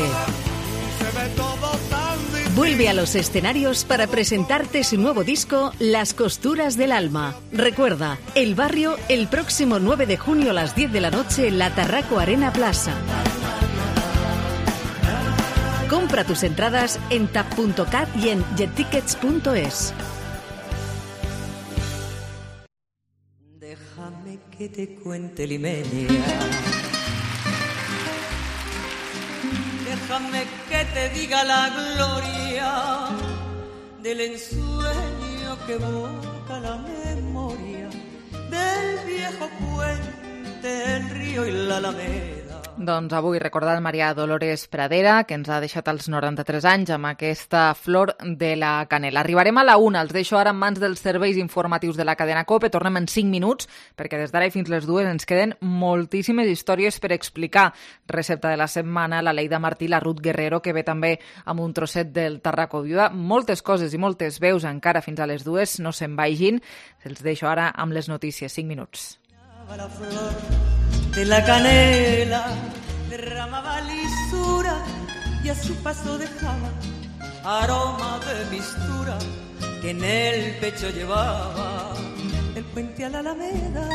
Vuelve a los escenarios para presentarte su nuevo disco Las Costuras del Alma. Recuerda, El Barrio el próximo nueve de junio a las diez de la noche en la Tarraco Arena Plaza. Compra tus entradas en tap punto cat y en jettickets punto es. Déjame que te cuente Limeña. Déjame que te diga la gloria del ensueño que evoca la memoria del viejo puente, el río y la alameda. Doncs avui recordar Maria Dolores Pradera, que ens ha deixat als noranta-tres anys amb aquesta flor de la canela. Arribarem a la una, els deixo ara en mans dels serveis informatius de la cadena COPE. Tornem en cinc minuts, perquè des d'ara i fins les dues ens queden moltíssimes històries per explicar. Recepta de la setmana, la Leida Martí, la Ruth Guerrero, que ve també amb un trosset del Tarraco Viuda. Moltes coses i moltes veus encara fins a les dues, no se'n vagin. Els deixo ara amb les notícies. cinc minuts. La flor de la canela derramaba lisura y a su paso dejaba aroma de mistura que en el pecho llevaba. Del puente a la alameda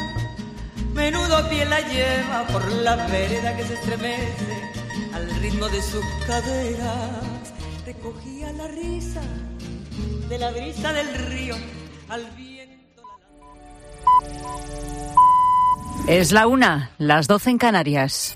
menudo pie la lleva por la vereda que se estremece al ritmo de sus caderas. Recogía la risa de la brisa del río al viento. Es la una, las doce en Canarias.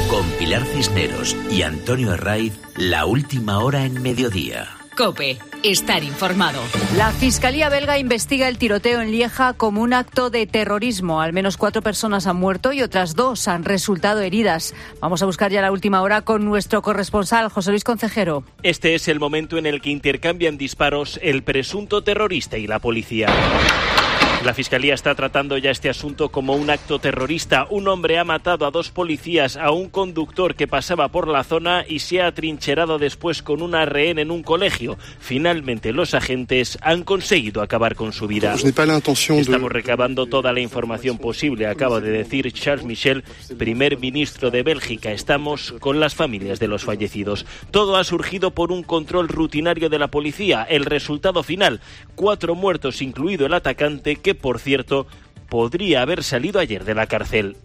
Con Pilar Cisneros y Antonio Herraiz, la última hora en mediodía. COPE. Estar informado. La Fiscalía belga investiga el tiroteo en Lieja como un acto de terrorismo. Al menos cuatro personas han muerto y otras dos han resultado heridas. Vamos a buscar ya la última hora con nuestro corresponsal, José Luis Concejero. Este es el momento en el que intercambian disparos el presunto terrorista y la policía. La Fiscalía está tratando ya este asunto como un acto terrorista. Un hombre ha matado a dos policías, a un conductor que pasaba por la zona y se ha atrincherado después con una rehén en un colegio. Finalmente los agentes han conseguido acabar con su vida. Estamos recabando toda la información posible, acaba de decir Charles Michel, primer ministro de Bélgica. Estamos con las familias de los fallecidos. Todo ha surgido por un control rutinario de la policía. El resultado final, cuatro muertos, incluido el atacante, que por cierto podría haber salido ayer de la cárcel.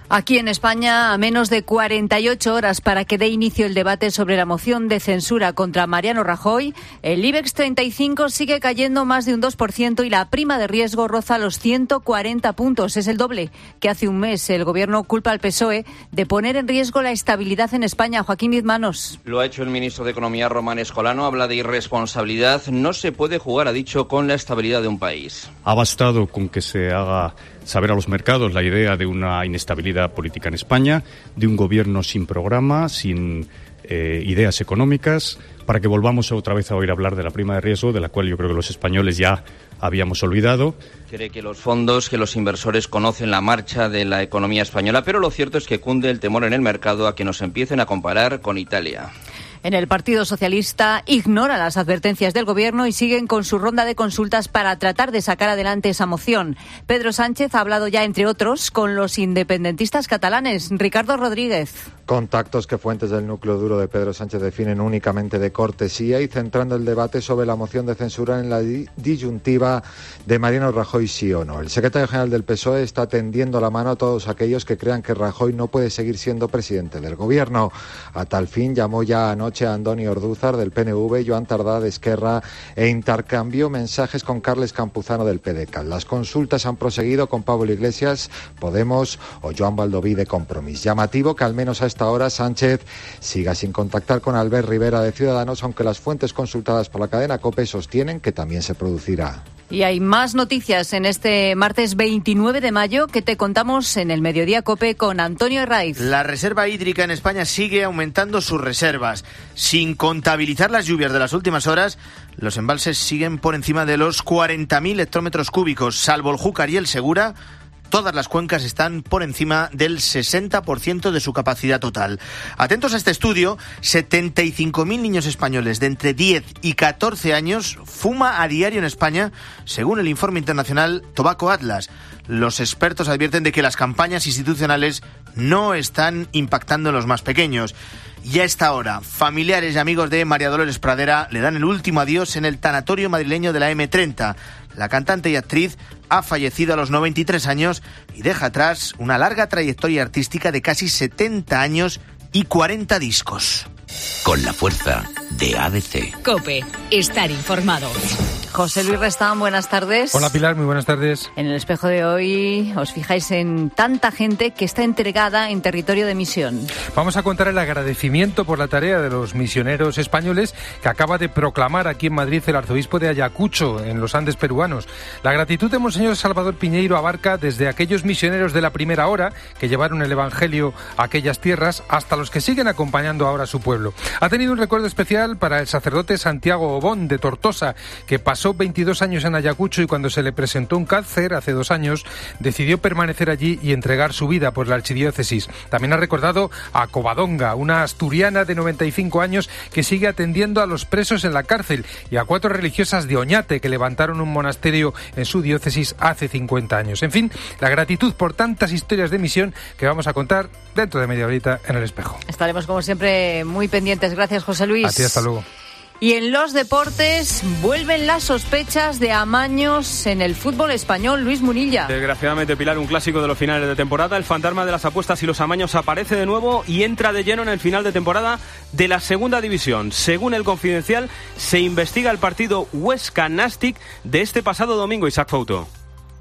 Aquí en España, a menos de cuarenta y ocho horas para que dé inicio el debate sobre la moción de censura contra Mariano Rajoy, el IBEX treinta y cinco sigue cayendo más de un dos por ciento y la prima de riesgo roza los ciento cuarenta puntos. Es el doble que hace un mes. El Gobierno culpa al P S O E de poner en riesgo la estabilidad en España. Joaquín Bizmanos. Lo ha hecho el ministro de Economía, Román Escolano. Habla de irresponsabilidad. No se puede jugar, ha dicho, con la estabilidad de un país. Ha bastado con que se haga saber a los mercados la idea de una inestabilidad política en España, de un gobierno sin programa, sin eh, ideas económicas, para que volvamos otra vez a oír hablar de la prima de riesgo, de la cual yo creo que los españoles ya habíamos olvidado. Cree que los fondos, que los inversores conocen la marcha de la economía española, pero lo cierto es que cunde el temor en el mercado a que nos empiecen a comparar con Italia. En el Partido Socialista ignora las advertencias del Gobierno y siguen con su ronda de consultas para tratar de sacar adelante esa moción. Pedro Sánchez ha hablado ya, entre otros, con los independentistas catalanes. Ricardo Rodríguez. Contactos que fuentes del núcleo duro de Pedro Sánchez definen únicamente de cortesía y centrando el debate sobre la moción de censura en la disyuntiva de Mariano Rajoy sí o no. El secretario general del P S O E está tendiendo la mano a todos aquellos que crean que Rajoy no puede seguir siendo presidente del Gobierno. A tal fin llamó ya anoche a Andoni Ordúzar del P N V, Joan Tardá de Esquerra e intercambió mensajes con Carles Campuzano del P D C A T. Las consultas han proseguido con Pablo Iglesias, Podemos o Joan Baldoví de Compromís. Llamativo que al menos a esta hora Sánchez siga sin contactar con Albert Rivera de Ciudadanos, aunque las fuentes consultadas por la cadena COPE sostienen que también se producirá. Y hay más noticias en este martes veintinueve de mayo que te contamos en el Mediodía COPE con Antonio Herraiz. La reserva hídrica en España sigue aumentando sus reservas. Sin contabilizar las lluvias de las últimas horas, los embalses siguen por encima de los cuarenta mil hectómetros cúbicos, salvo el Júcar y el Segura. Todas las cuencas están por encima del sesenta por ciento de su capacidad total. Atentos a este estudio, setenta y cinco mil niños españoles de entre diez y catorce años fuma a diario en España, según el informe internacional Tobacco Atlas. Los expertos advierten de que las campañas institucionales no están impactando en los más pequeños. Y a esta hora, familiares y amigos de María Dolores Pradera le dan el último adiós en el tanatorio madrileño de la eme treinta. La cantante y actriz ha fallecido a los noventa y tres años y deja atrás una larga trayectoria artística de casi setenta años y cuarenta discos. Con la fuerza de A D C. COPE. Estar informado. José Luis Restán, buenas tardes. Hola Pilar, muy buenas tardes. En el espejo de hoy os fijáis en tanta gente que está entregada en territorio de misión. Vamos a contar el agradecimiento por la tarea de los misioneros españoles que acaba de proclamar aquí en Madrid el arzobispo de Ayacucho, en los Andes peruanos. La gratitud de Monseñor Salvador Piñeiro abarca desde aquellos misioneros de la primera hora que llevaron el evangelio a aquellas tierras hasta los que siguen acompañando ahora a su pueblo. Ha tenido un recuerdo especial para el sacerdote Santiago Obón de Tortosa, que pasó veintidós años en Ayacucho y cuando se le presentó un cáncer hace dos años decidió permanecer allí y entregar su vida por la archidiócesis. También ha recordado a Covadonga, una asturiana de noventa y cinco años que sigue atendiendo a los presos en la cárcel, y a cuatro religiosas de Oñate que levantaron un monasterio en su diócesis hace cincuenta años. En fin, la gratitud por tantas historias de misión que vamos a contar dentro de media horita en el espejo. Estaremos como siempre muy pendientes. Gracias, José Luis. A ti, hasta luego. Y en los deportes vuelven las sospechas de amaños en el fútbol español. Luis Munilla. Desgraciadamente, Pilar, un clásico de los finales de temporada. El fantasma de las apuestas y los amaños aparece de nuevo y entra de lleno en el final de temporada de la segunda división. Según el Confidencial, se investiga el partido Huesca-Nastic de este pasado domingo. Isaac Fouto.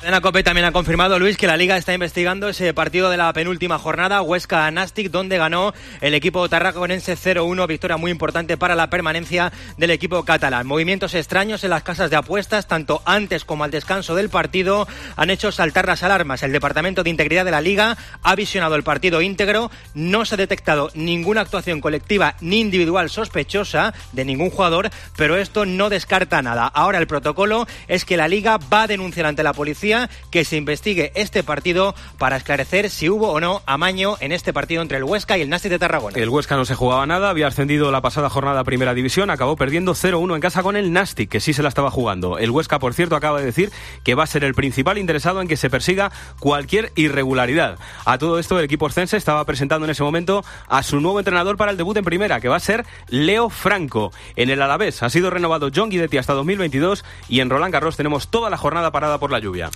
Cadena COPE también ha confirmado, Luis, que la Liga está investigando ese partido de la penúltima jornada, Huesca-Nastic, donde ganó el equipo tarraconense cero uno, victoria muy importante para la permanencia del equipo catalán. Movimientos extraños en las casas de apuestas, tanto antes como al descanso del partido, han hecho saltar las alarmas. El Departamento de Integridad de la Liga ha visionado el partido íntegro, no se ha detectado ninguna actuación colectiva ni individual sospechosa de ningún jugador, pero esto no descarta nada. Ahora el protocolo es que la Liga va a denunciar ante la policía que se investigue este partido para esclarecer si hubo o no amaño en este partido entre el Huesca y el Nastic de Tarragona. El Huesca no se jugaba nada, había ascendido la pasada jornada a Primera División, acabó perdiendo cero uno en casa con el Nastic, que sí se la estaba jugando. El Huesca, por cierto, acaba de decir que va a ser el principal interesado en que se persiga cualquier irregularidad. A todo esto, el equipo oscense estaba presentando en ese momento a su nuevo entrenador para el debut en Primera, que va a ser Leo Franco. En el Alavés ha sido renovado John Guidetti hasta dos mil veintidós y en Roland Garros tenemos toda la jornada parada por la lluvia.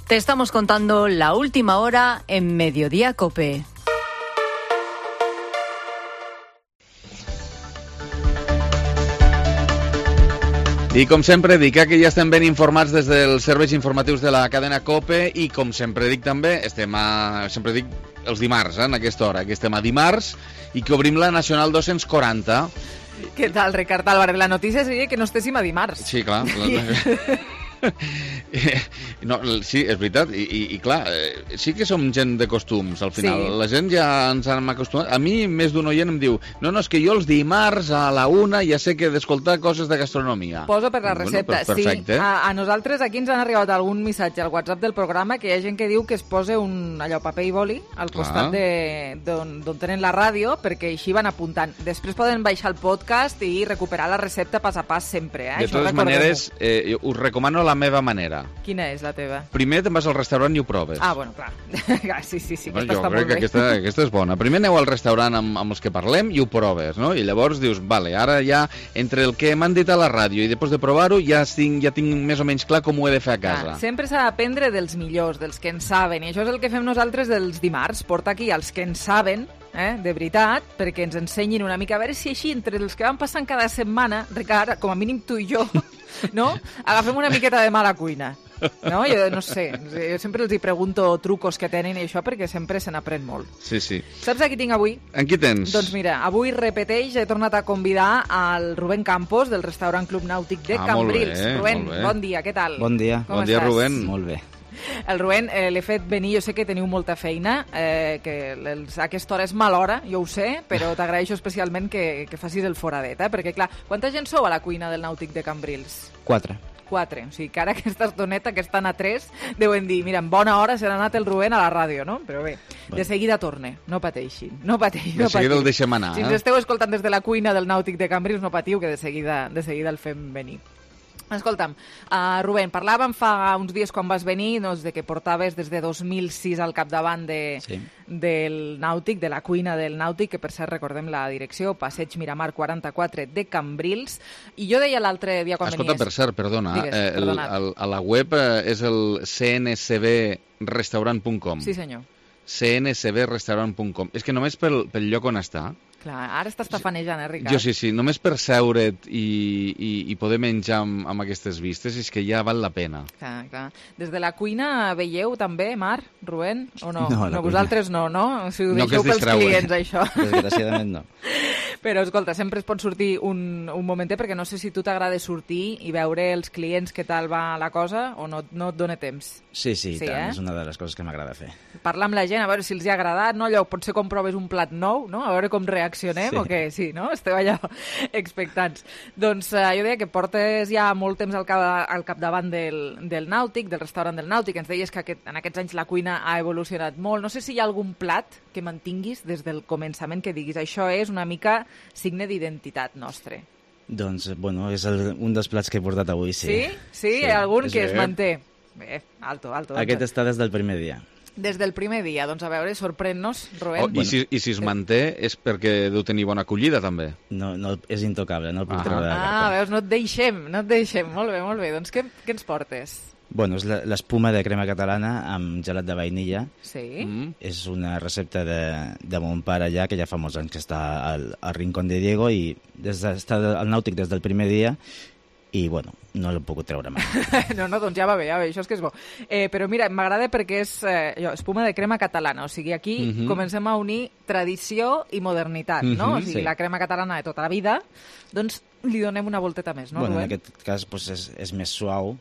Te estamos contando la última hora en Mediodía COPE. I com sempre dic eh, que ja estem ben informats des dels serveis informatius de la cadena COPE i com sempre dic també, estem a, sempre dic els dimarts, eh, en aquesta hora, que estem a dimarts i que obrim la Nacional dos-cents quaranta. Què tal, Ricard Álvarez? La notícia seria que no estéssim a dimarts. Sí, clar. No, sí, és veritat, i, i, i clar, eh, sí que som gent de costums, al final. Sí. La gent ja ens hem acostumat. A mi, més d'un oient em diu, no, no, és que jo els dimarts a la una ja sé que d'escoltar coses de gastronomia. Poso per la recepta. Bueno, pues perfecte. Sí, a, a nosaltres aquí ens han arribat algun missatge al WhatsApp del programa que hi ha gent que diu que es posa un allò paper i boli al costat d'on tenen la ràdio, perquè així van apuntant. Després poden baixar el podcast i recuperar la recepta pas a pas sempre. Eh? De totes maneres, eh, us recomano la meva manera. Quina és la teva? Primer te'n vas al restaurant i ho proves. Ah, bueno, clar. sí, sí, sí, bueno, aquesta està molt bé. Jo crec que aquesta, aquesta és bona. Primer aneu al restaurant amb, amb els que parlem i ho proves, no? I llavors dius, vale, ara ja, entre el que m'han dit a la ràdio i després de provar-ho, ja tinc, ja tinc més o menys clar com ho he de fer a casa. Ah, sempre s'ha d'aprendre dels millors, dels que en saben, i això és el que fem nosaltres dels dimarts, portar aquí els que en saben, eh, de veritat, perquè ens ensenyin una mica, a veure si així, entre els que van passant cada setmana, Ricard, com a mínim tu i jo, no? Agafem una miqueta de mala cuina. No? Jo no sé, jo sempre els hi pregunto trucos que tenen i això perquè sempre se n'aprèn molt. Sí, sí. Saps a qui tinc avui? En qui tens? Doncs mira, avui repeteix, he tornat a convidar al Rubén Campos del restaurant Club Nàutic de ah, Cambrils. Bé, Rubén, bon dia, què tal? Bon dia. Com bon dia, estàs? Rubén. Molt bé. El Rubén, eh, l'he fet venir, jo sé que teniu molta feina, eh, que els, a aquesta hora és mala hora, jo ho sé, però t'agraeixo especialment que, que facis el foradet, eh? Perquè clar, quanta gent sou a la cuina del Nàutic de Cambrils? Quatre. Quatre, o sigui que ara aquesta estoneta que estan a tres deuen dir, mira, en bona hora se n'ha anat el Rubén a la ràdio, no? Però bé, bueno. De seguida torne, no pateixin, no pateixin. De seguida el deixem anar, si eh? ens esteu escoltant des de la cuina del Nàutic de Cambrils, no patiu, que de seguida, de seguida el fem venir. Escolta'm, uh, Rubén, parlàvem fa uns dies quan vas venir doncs, de que portaves des de dos mil sis al capdavant de, sí. del Nàutic, de la cuina del Nàutic, que per cert recordem la direcció, Passeig Miramar quaranta-quatre de Cambrils, i jo deia l'altre dia quan Escolta, venies... per cert, perdona, Digues, eh, el, el, a la web eh, és el c n c b restaurant punt com. Sí, senyor. c n c b restaurant punt com. És que només pel, pel lloc on està... Clar, ara estàs tafanejant, eh, Ricard? Jo sí, sí, només per seure't i, i, i poder menjar amb, amb aquestes vistes és que ja val la pena. Clar, clar. Des de la cuina veieu també, Mar, Rubén, o no? No, no vosaltres no, no? Si ho no deixeu pels clients, això. Desgraciadament no. Però, escolta, sempre es pot sortir un, un momentet, perquè no sé si tu t'agrada sortir i veure els clients què tal va la cosa, o no, no et dona temps. Sí, sí, sí tant, eh? és una de les coses que m'agrada fer. Parlar amb la gent, a veure si els hi ha agradat, no? Allò, potser com proves un plat nou, no? A veure com reaccionem, sí. O què? Sí, no? Esteu allà expectants. Doncs eh, jo deia que portes ja molt temps al, cap, al capdavant del, del Nàutic, del restaurant del Nàutic. Ens deies que aquest, en aquests anys la cuina ha evolucionat molt. No sé si hi ha algun plat que mantinguis des del començament que diguis això és una mica signe d'identitat nostre. Doncs, bueno, és el, un dels plats que he portat avui, sí. Sí? Sí? sí. Hi ha algun és que bé. es manté? Bé, alto, alto. alto. Aquest està des del primer dia. Des del primer dia, doncs a veure, sorprèn-nos, Rubén. Oh, i, si, I si es manté és perquè deu tenir bona acollida, també? No, no és intocable, no el puc ah. treure de la carta. Ah, veus, no et deixem, no et deixem. Molt bé, molt bé. Doncs què, què ens portes? Bueno, és l'espuma de crema catalana amb gelat de vainilla. Sí. Mm. És una recepta de, de mon pare allà, que ja fa molts anys que està al, al Rincón de Diego, i des de, està al Nàutic des del primer dia, i, bueno, no l'he pogut treure mai. No, no, doncs ja va bé, ja va bé, això és que és bo. Eh, però mira, m'agrada perquè és eh, allò, espuma de crema catalana, o sigui, aquí uh-huh. comencem a unir tradició i modernitat, uh-huh, no? O sigui, sí. La crema catalana de tota la vida, doncs li donem una volteta més, no, bueno, Rubén? En aquest cas pues, és, és més suau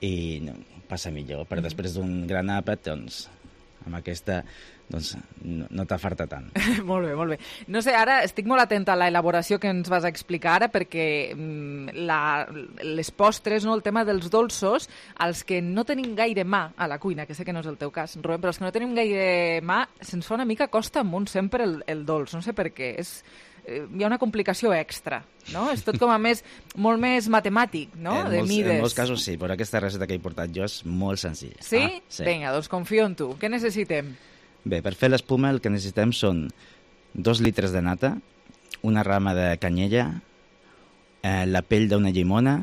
i no, passa millor, però uh-huh. després d'un gran àpat, doncs, amb aquesta... doncs no, no t'afarta tant. Molt bé, molt bé. No sé, ara estic molt atenta a la elaboració que ens vas a explicar ara perquè la, les postres, no, el tema dels dolços, els que no tenim gaire mà a la cuina, que sé que no és el teu cas, Rubén, però els que no tenim gaire mà, se'ns fa una mica costa amunt sempre el, el dolç, no sé per què. És, eh, hi ha una complicació extra, no? És tot com a més, molt més matemàtic, no? En de molts, mides. En molts casos sí, però aquesta recepta que he portat jo és molt senzilla. Sí? Ah, sí. Vinga, doncs confio en tu. Què necessitem? Bé, per fer l'espuma el que necessitem són dos litres de nata, una rama de canyella, eh, la pell d'una llimona,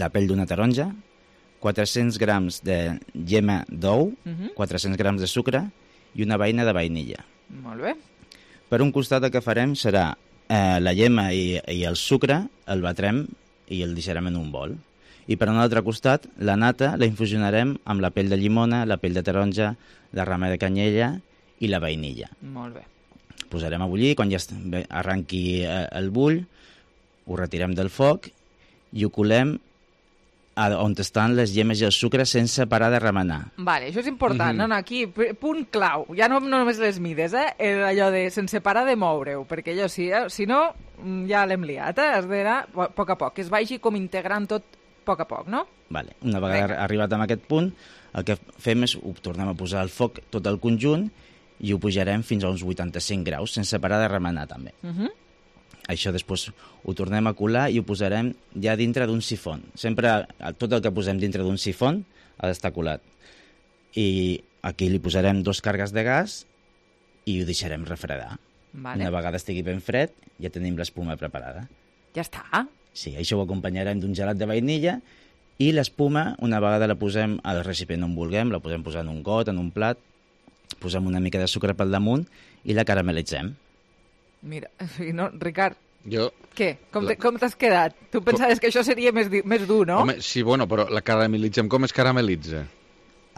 la pell d'una taronja, quatre-cents grams de llema d'ou, uh-huh. quatre-cents grams de sucre i una beina de vainilla. Molt bé. Per un costat el que farem serà eh, la llema i, i el sucre, el batrem i el deixarem en un bol. I per un altre costat, la nata la infusionarem amb la pell de llimona, la pell de taronja, la rama de canyella i la vainilla. Molt bé. Posarem a bullir, quan ja arranqui el bull, ho retirem del foc i ho colem on estan les llemes i el sucre sense parar de remenar. Vale, això és important. Mhm. No, no, aquí, punt clau. Ja no, no només les mides, eh? Allò de sense parar de moure-ho, perquè allò, si, eh? si no, ja l'hem liat, eh? Has d'anar a poc a poc, que es vagi com integrant tot a poc a poc, no? Vale. Una vegada Venga. arribat a aquest punt, el que fem és ho tornem a posar al foc tot el conjunt i ho pujarem fins a uns vuitanta-cinc graus, sense parar de remenar també. Uh -huh. Això després ho tornem a colar i ho posarem ja dintre d'un sifon. Sempre tot el que posem dintre d'un sifon ha d'estar colat. I aquí li posarem dos càrregues de gas i ho deixarem refredar. Vale. Una vegada estigui ben fred, ja tenim l'espuma preparada. Ja està. Sí, això ho acompanyarem d'un gelat de vainilla i l'espuma, una vegada la posem al recipient on vulguem, la podem posar en un got, en un plat, posem una mica de sucre pel damunt i la caramelitzem. Mira, no, Ricard, jo... què? Com t'has quedat? Tu pensaves com... que això seria més, més dur, no? Home, sí, bueno, però la caramelitzem. Com es caramelitza?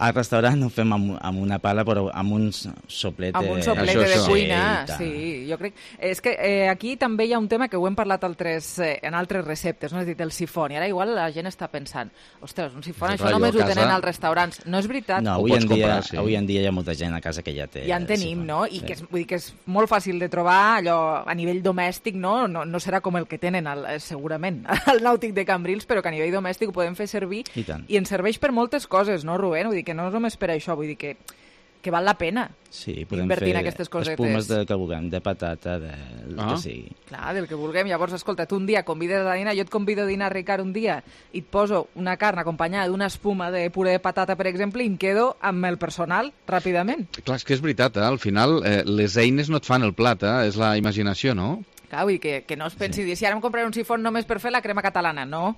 Al restaurant ho fem amb, amb una pala, però amb un soplete... Amb un soplete això, de això. cuina, sí, sí. Jo crec... És que eh, aquí també hi ha un tema que ho hem parlat altres, eh, en altres receptes, no? És a dir, el sifon. I ara igual la gent està pensant, ostres, un sifon, això només casa... ho tenen als restaurants. No és veritat. No, avui en, dia, comprar, sí. avui en dia hi ha molta gent a casa que ja té... Ja en tenim, sifon. no? I sí. que, és, vull dir que és molt fàcil de trobar, allò a nivell domèstic, no? No, no serà com el que tenen, el, segurament, al Nàutic de Cambrils, però que a nivell domèstic ho podem fer servir. I tant. I ens serveix per moltes coses, no, Rubén? Vull dir que no és només per això, vull dir que, que val la pena sí, podem invertir fer en aquestes cosetes. Espumes del que vulguem, de patata, de... Ah. que sigui. Clar, del que vulguem. Llavors, escolta, tu un dia convides a dinar, jo et convido a dinar, Ricard, un dia, i et poso una carn acompanyada d'una espuma de puré de patata, per exemple, i em quedo amb el personal ràpidament. Clar, és que és veritat, eh? Al final eh, les eines no et fan el plat, eh? És la imaginació, no? Clar, vull dir que, que no es pensi, sí. si ara em compraré un sifon només per fer la crema catalana, no,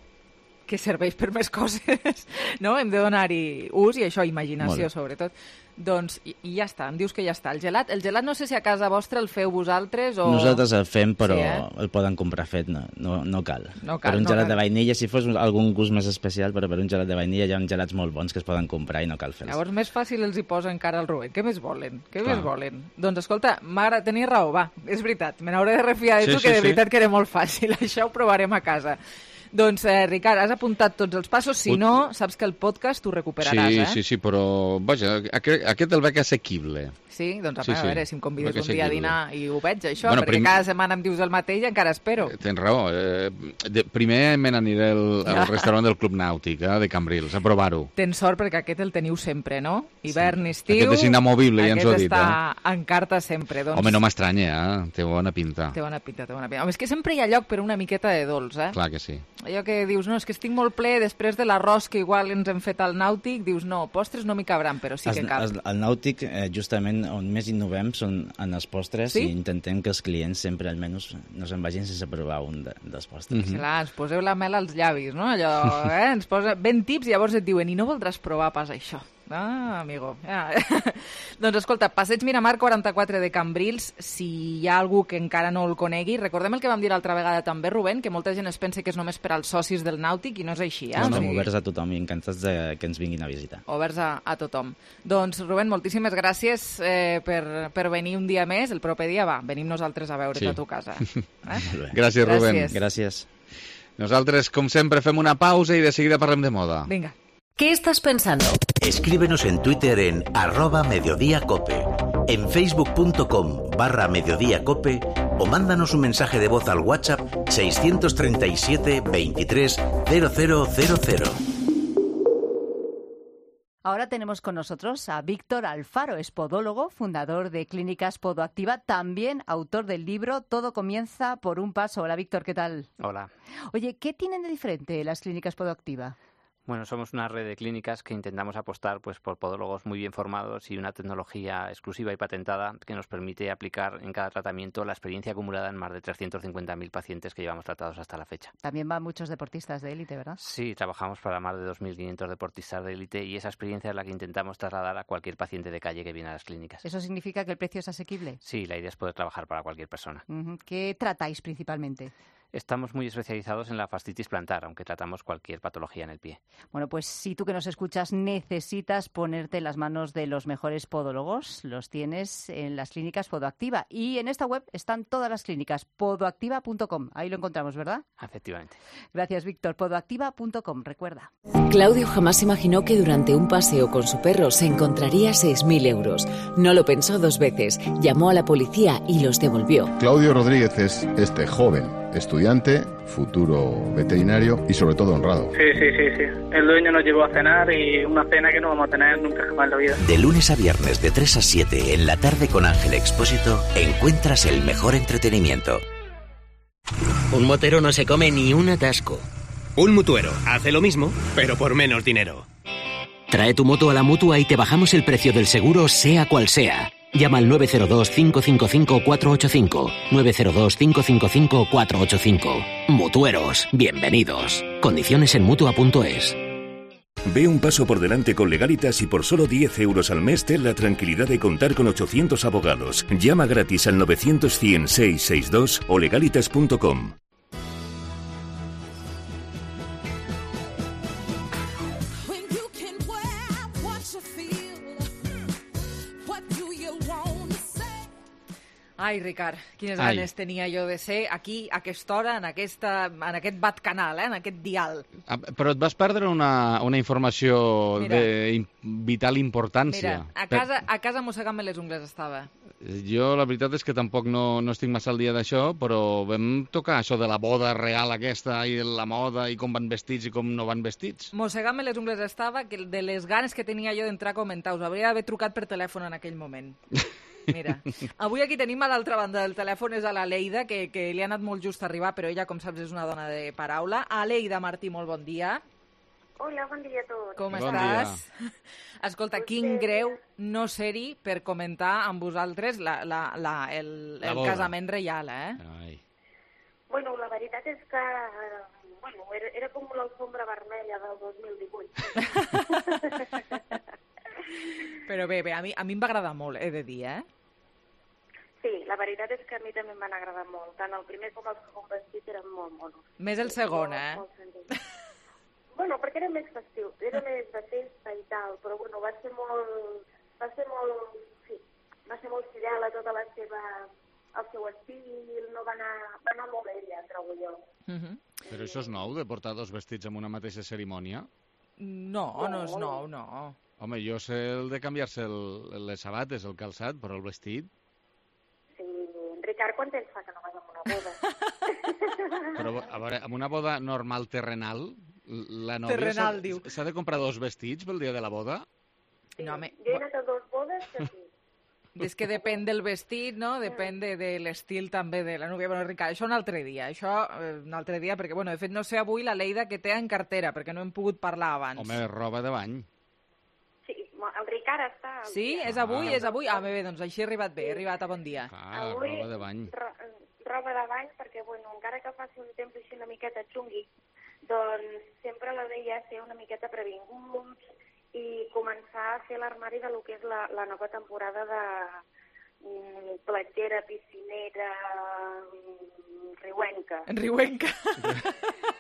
que serveix per més coses, no? Hem de donar-hi ús i això, imaginació, sobretot. Doncs, i, i ja està, em dius que ja està. El gelat, el gelat no sé si a casa vostra el feu vosaltres o... Nosaltres el fem, però sí, eh? el poden comprar fet, no, no, no cal. No cal. Per un no gelat cal. de vainilla, si fos algun gust més especial, però per un gelat de vainilla hi ha gelats molt bons que es poden comprar i no cal fer-los. Llavors més fàcil els hi posa encara el Rubén. Què més volen? Què Clar. més volen? Doncs escolta, mare, tenies raó, va, és veritat. Me n'hauré de refiar de Sí, tu, sí, que de sí. veritat que era molt fàcil. Això ho provarem a casa. Doncs, eh, Ricard, has apuntat tots els passos. Si Ut- no, saps que el podcast ho recuperaràs, Sí, eh? sí, sí, però, vaja, aquest, aquest el veig assequible. Sí? Doncs a, Sí, a sí. veure si em convides Crec un que dia a assequible. dinar i ho veig, això, Bueno, perquè prim- cada setmana em dius el mateix i encara espero. Tens raó. Eh, de, primer me n'aniré al, al restaurant del Club Nàutic, eh, de Cambrils, a provar-ho. Tens sort perquè aquest el teniu sempre, no? Hivern, estiu... Aquest és inamovible, ja ens ho ha dit, Aquest està en carta sempre, doncs... Home, no m'estranya, eh? Té bona pinta. Té bona pinta, té bona pinta. Home, és que sempre hi ha lloc per una miqueta de dolç, eh? Clar que sí. Allò que dius, no, és que estic molt ple després de l'arròs que igual ens hem fet al Nàutic, dius, no, postres no m'hi cabran, però sí que El, cal. el, el Nàutic, eh, justament on més innovem són en els postres Sí? i intentem que els clients sempre almenys no se'n vagin sense provar un de, dels postres. Mm-hmm. Clar, ens poseu la mel als llavis, no? Allò, eh? Ens posa ben tips i llavors et diuen, i no voldràs provar pas això? Ah, amigo. Ah. Doncs escolta, Passeig Miramar quaranta-quatre de Cambrils, si hi ha algú que encara no el conegui, recordem el que vam dir l'altra vegada també, Rubén, que molta gent es pensa que és només per als socis del Nàutic i no és així, eh? No, no, oberts a tothom i encantats de que ens vinguin a visitar. Oberts a, a tothom. Doncs, Rubén, moltíssimes gràcies eh, per, per venir un dia més. El proper dia, va, venim nosaltres a veure't sí. a tu casa. Eh? Gràcies, Rubén. Gràcies. Gràcies. Nosaltres, com sempre, fem una pausa i de seguida parlem de moda. Vinga. ¿Qué estás pensando? Escríbenos en Twitter en arroba mediodíacope, en facebook.com barra mediodíacope o mándanos un mensaje de voz al WhatsApp seiscientos treinta y siete veintitrés cero cero cero cero. Ahora tenemos con nosotros a Víctor Alfaro, es podólogo, fundador de Clínicas Podoactiva, también autor del libro Todo comienza por un paso. Hola, Víctor, ¿qué tal? Hola. Oye, ¿qué tienen de diferente las Clínicas Podoactiva? Bueno, somos una red de clínicas que intentamos apostar pues, por podólogos muy bien formados y una tecnología exclusiva y patentada que nos permite aplicar en cada tratamiento la experiencia acumulada en más de trescientos cincuenta mil pacientes que llevamos tratados hasta la fecha. También van muchos deportistas de élite, ¿verdad? Sí, trabajamos para más de dos mil quinientos deportistas de élite y esa experiencia es la que intentamos trasladar a cualquier paciente de calle que viene a las clínicas. ¿Eso significa que el precio es asequible? Sí, la idea es poder trabajar para cualquier persona. Uh-huh. ¿Qué tratáis principalmente? Estamos muy especializados en la fascitis plantar, aunque tratamos cualquier patología en el pie. Bueno, pues si tú que nos escuchas necesitas ponerte en las manos de los mejores podólogos, los tienes en las clínicas Podoactiva. Y en esta web están todas las clínicas, podoactiva punto com. Ahí lo encontramos, ¿verdad? Efectivamente. Gracias, Víctor. podoactiva punto com, recuerda. Claudio jamás imaginó que durante un paseo con su perro se encontraría seis mil euros. No lo pensó dos veces, llamó a la policía y los devolvió. Claudio Rodríguez es este joven estudiante, futuro veterinario y sobre todo honrado. Sí, sí, sí, sí. El dueño nos llevó a cenar y una cena que no vamos a tener nunca jamás en la vida. De lunes a viernes de tres a siete en la tarde con Ángel Expósito encuentras el mejor entretenimiento. Un motero no se come ni un atasco. Un mutuero hace lo mismo, pero por menos dinero. Trae tu moto a la Mutua y te bajamos el precio del seguro sea cual sea. Llama al nueve cero dos, cinco cinco cinco, cuatro ocho cinco. nueve cero dos, cinco cinco cinco, cuatro ocho cinco. Mutueros, bienvenidos. Condiciones en Mutua punto es. Ve un paso por delante con Legalitas y por solo diez euros al mes ten la tranquilidad de contar con ochocientos abogados. Llama gratis al novecientos cien seiscientos sesenta y dos o legalitas punto com. Ai, Ricard, quines Ai. ganes tenia jo de ser aquí, a aquesta hora, en, aquesta, en aquest bat canal, eh, en aquest dial. Ah, però et vas perdre una, una informació Mira. de im- vital importància. Mira, a casa, a casa mossegant-me les ungles estava. Jo la veritat és que tampoc no, no estic massa al dia d'això, però vam tocar això de la boda real aquesta i de la moda i com van vestits i com no van vestits. Mossegant-me les ungles estava, que de les ganes que tenia jo d'entrar a comentar, us hauria d'haver trucat per telèfon en aquell moment. Mira, avui aquí tenim a l'altra banda del telèfon és a la Leida, que, que li ha anat molt just a arribar, però ella, com saps, és una dona de paraula. Aleida Martí, molt bon dia. Hola, bon dia a tots. Com Bon estàs? dia. Escolta, quin greu no ser-hi per comentar amb vosaltres la, la, la, el, La el boda. casament reial, eh? Ai. Bueno, la veritat és que eh, bueno, era, era com l'alfombra vermella del dos mil divuit. Però bé, bé, a mi, a mi em va agradar molt, he de dir, eh? Sí, la veritat és que a mi també em van agradar molt. Tant el primer com el segon vestit eren molt monos. Més el segon, Molt, eh? molt senzills. Bueno, perquè era més festiu, era més de festa i tal, però bueno, va ser molt, va ser molt, sí, va ser molt fidel a tota la seva, el seu estil, no va anar, va anar molt ella, trobo jo. Mhm. Però això és nou, de portar dos vestits en una mateixa cerimònia? No, no és nou, no. Home, jo sé el de canviar-se el, les sabates, el calçat, però el vestit... Sí, Ricard, quant temps fa que no vas a una boda? Però, a veure, en una boda normal terrenal, la nòvia Terrenal, s'ha- diu. s'ha de comprar dos vestits pel dia de la boda? No, home, Jo he anat a dos bodes que sí. és que depèn del vestit, no? Depèn de, de l'estil també de la núvia. Bueno, Ricard, això un altre dia, això eh, un altre dia, perquè, bueno, de fet, no sé avui la Leida que té en cartera, perquè no hem pogut parlar abans. Home, roba de bany. Sí, el Ricard està... al Sí? dia. És avui? És avui? Ah, bé, bé, doncs així he arribat bé, he arribat a bon dia. Ah, Avui, roba de bany. ro roba de bany, perquè, bueno, encara que faci un temps així una miqueta xungui, doncs sempre la deia ser una miqueta previnguts i començar a fer l'armari de lo que és la, la nova temporada de mm, platgera, piscinera, mm, riuenca. Riuenca.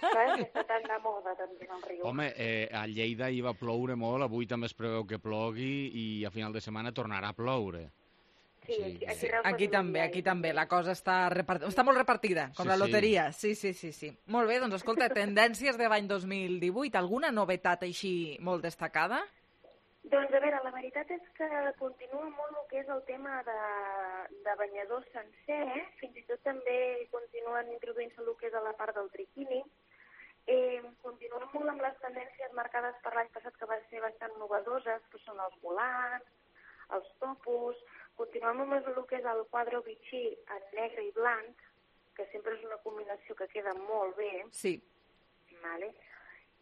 Saps? Està tan de moda també el riu. Home, eh, a Lleida hi va ploure molt, avui també es preveu que plogui i a final de setmana tornarà a ploure. Sí, aquí, aquí, aquí també, aquí també. La cosa està, repart... està molt repartida, com sí, la loteria. Sí, sí, sí, sí. Molt bé, doncs escolta, tendències de l'any dos mil divuit, alguna novetat així molt destacada? Doncs a veure, la veritat és que continua molt el que és el tema de, de banyador sencer, eh? Fins i tot també continuen introduint-se el que és a la part del triquini. Eh, continuen molt amb les tendències marcades per l'any passat que van ser bastant novedoses, que són els volants, els topos. Continuem amb el que és el quadre bitxí en negre i blanc, que sempre és una combinació que queda molt bé. Sí. Vale.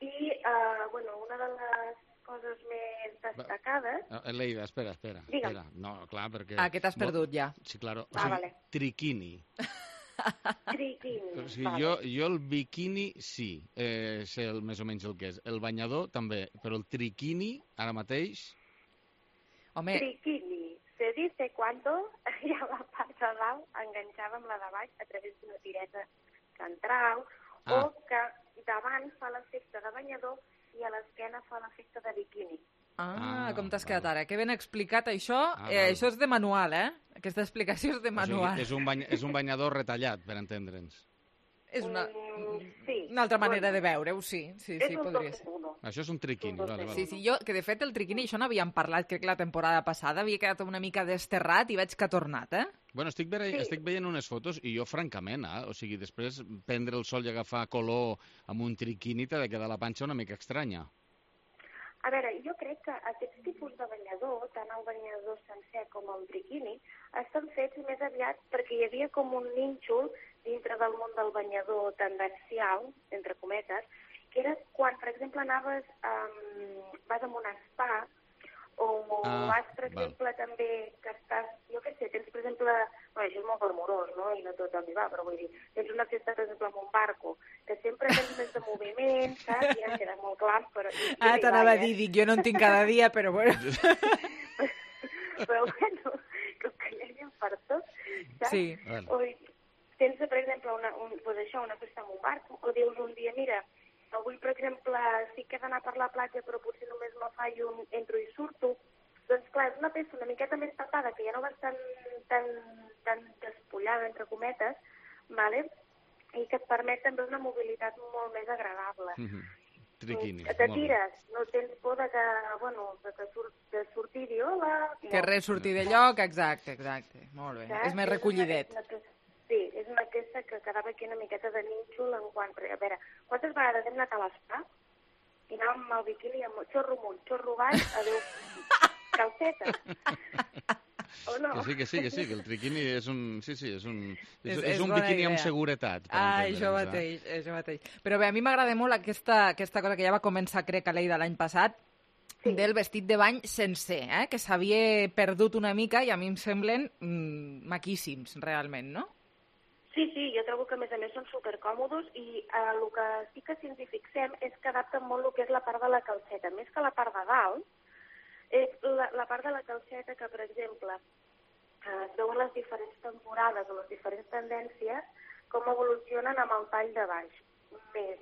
I, uh, bueno, una de les coses més destacades... Leida, espera, espera. Digue'm. espera. No, clar, perquè... Ah, que t'has perdut ja. Sí, claro. O Ah, sigui, vale. triquini. Triquini. O sigui, vale. jo, jo el biquini sí, eh, sé el, més o menys el que és. El banyador també, però el triquini, ara mateix... Home... Triquini. Se dice cuando hi ha la part de dalt enganxada amb la de baix a través d'una tireta que en trau, ah. o que davant fa l'efecte de banyador i a l'esquena fa l'efecte de biquini. Ah, Ah, com t'has quedat ara? Que ben explicat això. Ah, eh, val. això és de manual, eh? Aquesta explicació és de O sigui, manual. és, un bany, és un banyador retallat, per entendre'ns. És una, Mm, sí. una altra manera de veure-ho, sí. Sí, És sí, un podria dos ser. en uno. Això és un triquini, vale, vale. Sí, sí, jo, que de fet el triquini, això n'havíem parlat, crec que la temporada passada, havia quedat una mica desterrat i veig que ha tornat, eh? Bueno, estic, ve Sí. estic veient unes fotos i jo, francament, eh? O sigui, després prendre el sol i agafar color amb un triquini t'ha de quedar la panxa una mica estranya. A veure, jo crec que aquests tipus de banyador, tant el banyador sencer com el triquini, estan fets més aviat perquè hi havia com un nínxol dintre del món del banyador tendencial, entre cometes, que era quan, per exemple, anaves, um, vas a un spa, o Ah, vas, per val. exemple, també que estàs, jo què sé, tens, per exemple, bueno, això és molt glamurós, no?, i no tot el va, però vull dir, tens una festa, per exemple, amb un barco, que sempre tens més de moviment, saps? Ja queda molt clar, però... Ah, t'anava a dir, dic, jo no en tinc cada dia, però bueno. Però bueno, com que hi havia per tot, saps? Sí. Vale. O tens, per exemple, una, un, pues això, una festa amb un barco, o dius un dia, mira, avui, per exemple, sí que he d'anar per la platja, però potser només me fallo un entro i surto. Doncs clar, és una peça una miqueta més tapada, que ja no vas tan, tan, tan despullada, entre cometes, vale? I que et permet també una mobilitat molt més agradable. Mm -hmm. Triquini. Que te tires, no tens por de que, bueno, de, que sur, de sortir i hola... Que no. res sortir de lloc, exacte, exacte. Molt bé. Saps? És més recollidet. És una, és una, sí, és una peça que quedava aquí una miqueta de nínxol en quant... A veure, quantes vegades hem anat a l'espa i anàvem amb el biquini amb xorro amunt, xorro baix, adéu, calceta. O no? Que sí, que sí, que sí, que el triquini és un... Sí, sí, és un, és, És- és és un bona biquini idea. amb seguretat. per Ah, entendre'ns, això eh? mateix, això mateix. Però bé, a mi m'agrada molt aquesta, aquesta cosa que ja va començar, crec, a Leida l'any passat, sí. del vestit de bany sencer, eh? Que s'havia perdut una mica i a mi em semblen mm, maquíssims, realment, no? Sí, sí, jo trobo que a més a més són supercòmodes i eh, el que sí que si ens hi fixem és que adapten molt el que és la part de la calceta, més que la part de dalt, és la, la part de la calceta que, per exemple, eh, es veuen les diferents temporades o les diferents tendències com evolucionen amb el tall de baix. Més,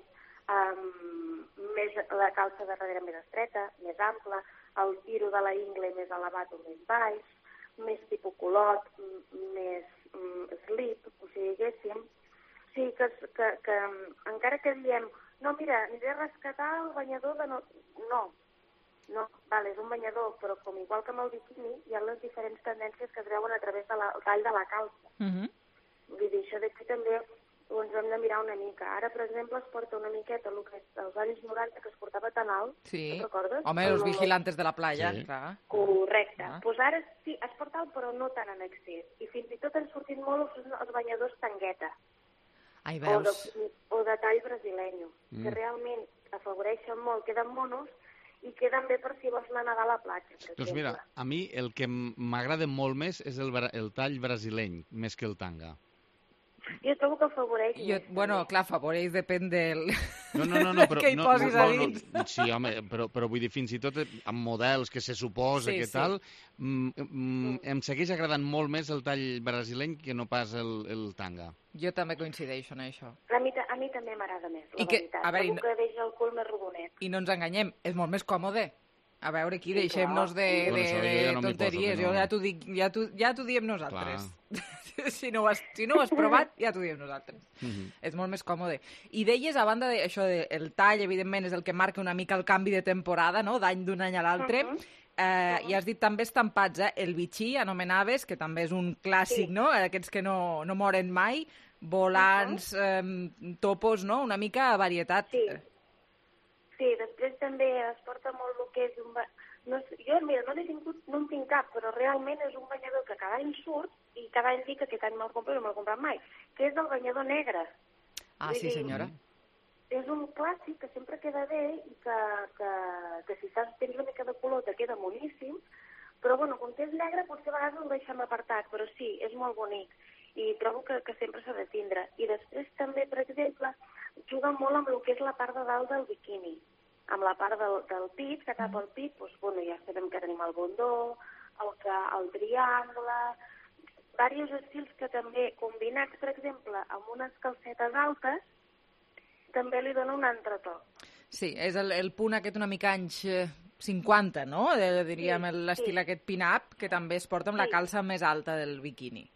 um, més la calça de darrere més estreta, més ampla, el tiro de la ingle més elevat o més baix, més tipus culot, m- més mm, slip, o sigui, diguéssim. O sigui, que, que, que encara que diem, no, mira, aniré a rescatar el banyador de... No, no, no, vale, és un banyador, però com igual que amb el biquini, hi ha les diferents tendències que es veuen a través del de tall de la calça. Uh -huh. Vull dir, això d'aquí també ho ens hem de mirar una mica. Ara, per exemple, es porta una miqueta el que és als anys noranta, que es portava tan alt, Sí. te'n recordes? Home, El- els vigilantes de la playa, Sí. clar. Correcte. Ah. Doncs ara sí, es porta alt, però no tan en excés. I fins i tot han sortit molt els, els banyadors tangueta, Ai, o veus? de, o de tall brasileño, Mm. que realment afavoreixen molt, queden monos, i queden bé per si vols anar a nedar a la platja, per Doncs exemple. mira, a mi el que m- m'agrada molt més és el, bra- el tall brasileny, més que el tanga. Jo trobo que afavoreix. Jo, bueno, clar, afavoreix, depèn del... No, no, no, no però, que hi no, posis no, a no, dins. no, sí, home, però, però vull dir, fins i tot amb models que se suposa Sí, que sí. tal, mm, mm, em segueix agradant molt més el tall brasileny que no pas el, el tanga. Jo també coincideixo en això. A mi, ta- a mi també m'agrada més, la I que- veritat. a veure, i Trobo que deixa el cul més rodonet. I no ens enganyem, és molt més còmode. A veure, aquí Sí, deixem-nos de, clar. de, Bueno, això de jo ja no m'hi tonteries. poso, que no. Jo ja t'ho dic, ja t'ho ja t'ho diem nosaltres. si, no ho has, si no ho has provat, ja t'ho diem nosaltres. Mhm. És molt més còmode. I deies, a banda d'això, de, el tall, evidentment, és el que marca una mica el canvi de temporada, no?, d'any d'un any a l'altre. Mhm. Eh, I has dit també estampats, eh? El bitxí, anomenaves, que també és un clàssic, Sí. no?, aquests que no, no moren mai, volants, eh, topos, no?, una mica varietat. Sí. Sí, després també es porta molt el que és un... ba- No, sé- jo, mira, no n'he tingut, no en tinc cap, però realment és un banyador que cada any surt i cada any dic que aquest any me'l compro i no me'l he comprat mai, que és el banyador negre. Ah, Vull sí, dir, senyora. És un clàssic que sempre queda bé i que, que, que si estàs, tens una mica de color te queda boníssim, però bueno, com que és negre potser a vegades el deixem apartat, però sí, és molt bonic i trobo que, que sempre s'ha de tindre. I després també, per exemple, juga molt amb el que és la part de dalt del biquini, amb la part del, del pit, que tapa el pit, doncs, bueno, ja sabem que tenim el bondó, el, que, el triangle, diversos estils que també, combinats, per exemple, amb unes calcetes altes, també li dona un altre to. Sí, és el, el punt aquest una mica anys eh, cinquanta, no? Eh, diríem Sí, l'estil sí. aquest pin-up, que també es porta amb la Sí. calça més alta del biquini.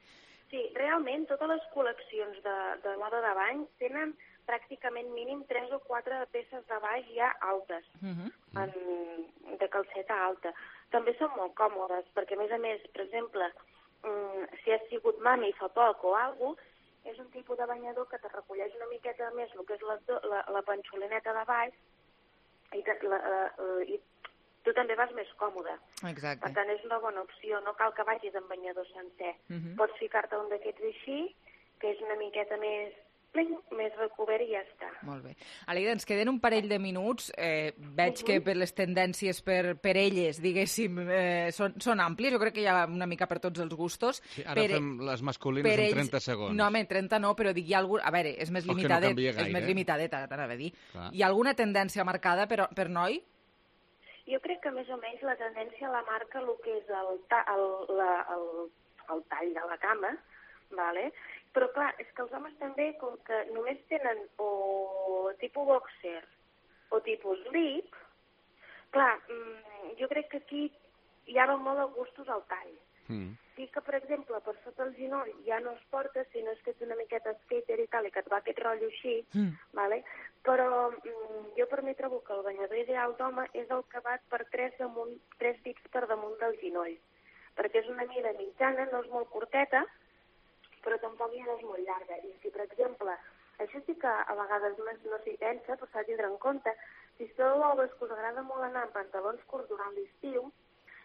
Sí, realment totes les col·leccions de, de moda de bany tenen pràcticament mínim tres o quatre peces de baix ja altes, Uh -huh. en, de calceta alta. També són molt còmodes, perquè a més a més, per exemple, mm, si has sigut mami fa poc o alguna cosa, és un tipus de banyador que te recolleix una miqueta més el que és la, la, la panxolineta de baix i, te, la, la, i tu també vas més còmode. Exacte. Per tant, és una bona opció, no cal que vagis amb banyador sencer. Uh -huh. Pots ficar-te un d'aquests així, que és una miqueta més pling, més recobert i ja està. Molt bé. Aleida, ens queden un parell de minuts. Eh, veig que per les tendències per, per elles, diguéssim, eh, són, són àmplies. Jo crec que hi ha una mica per tots els gustos. Sí, ara per, fem les masculines per en ells- trenta segons. No, home, en trenta no, però dic, hi ha algun... A veure, és més Oh, que no limitadet. canvia és gaire, més eh? limitadet, t'anava a dir. Clar. Hi ha alguna tendència marcada per, per noi? Jo crec que més o menys la tendència la marca el que és el, ta, el, la, el, el tall de la cama, vale? Però clar, és que els homes també, com que només tenen o tipus boxer o tipus slip, clar, mmm, jo crec que aquí hi ha molt de gustos al tall. Mm. Sí que, per exemple, per sota el ginoll ja no es porta, si no és que ets una miqueta skater i tal, i que et va aquest rotllo així, Mm. vale? Però mm, jo per mi trobo que el banyador ideal d'home és el que va per tres, damunt, tres dits per damunt del ginoll, perquè és una mida mitjana, no és molt curteta, però tampoc ja no és molt llarga. I si, per exemple, això sí que a vegades no, no s'hi pensa, però s'ha de tindre en compte, si sou homes que us agrada molt anar amb pantalons curts durant l'estiu,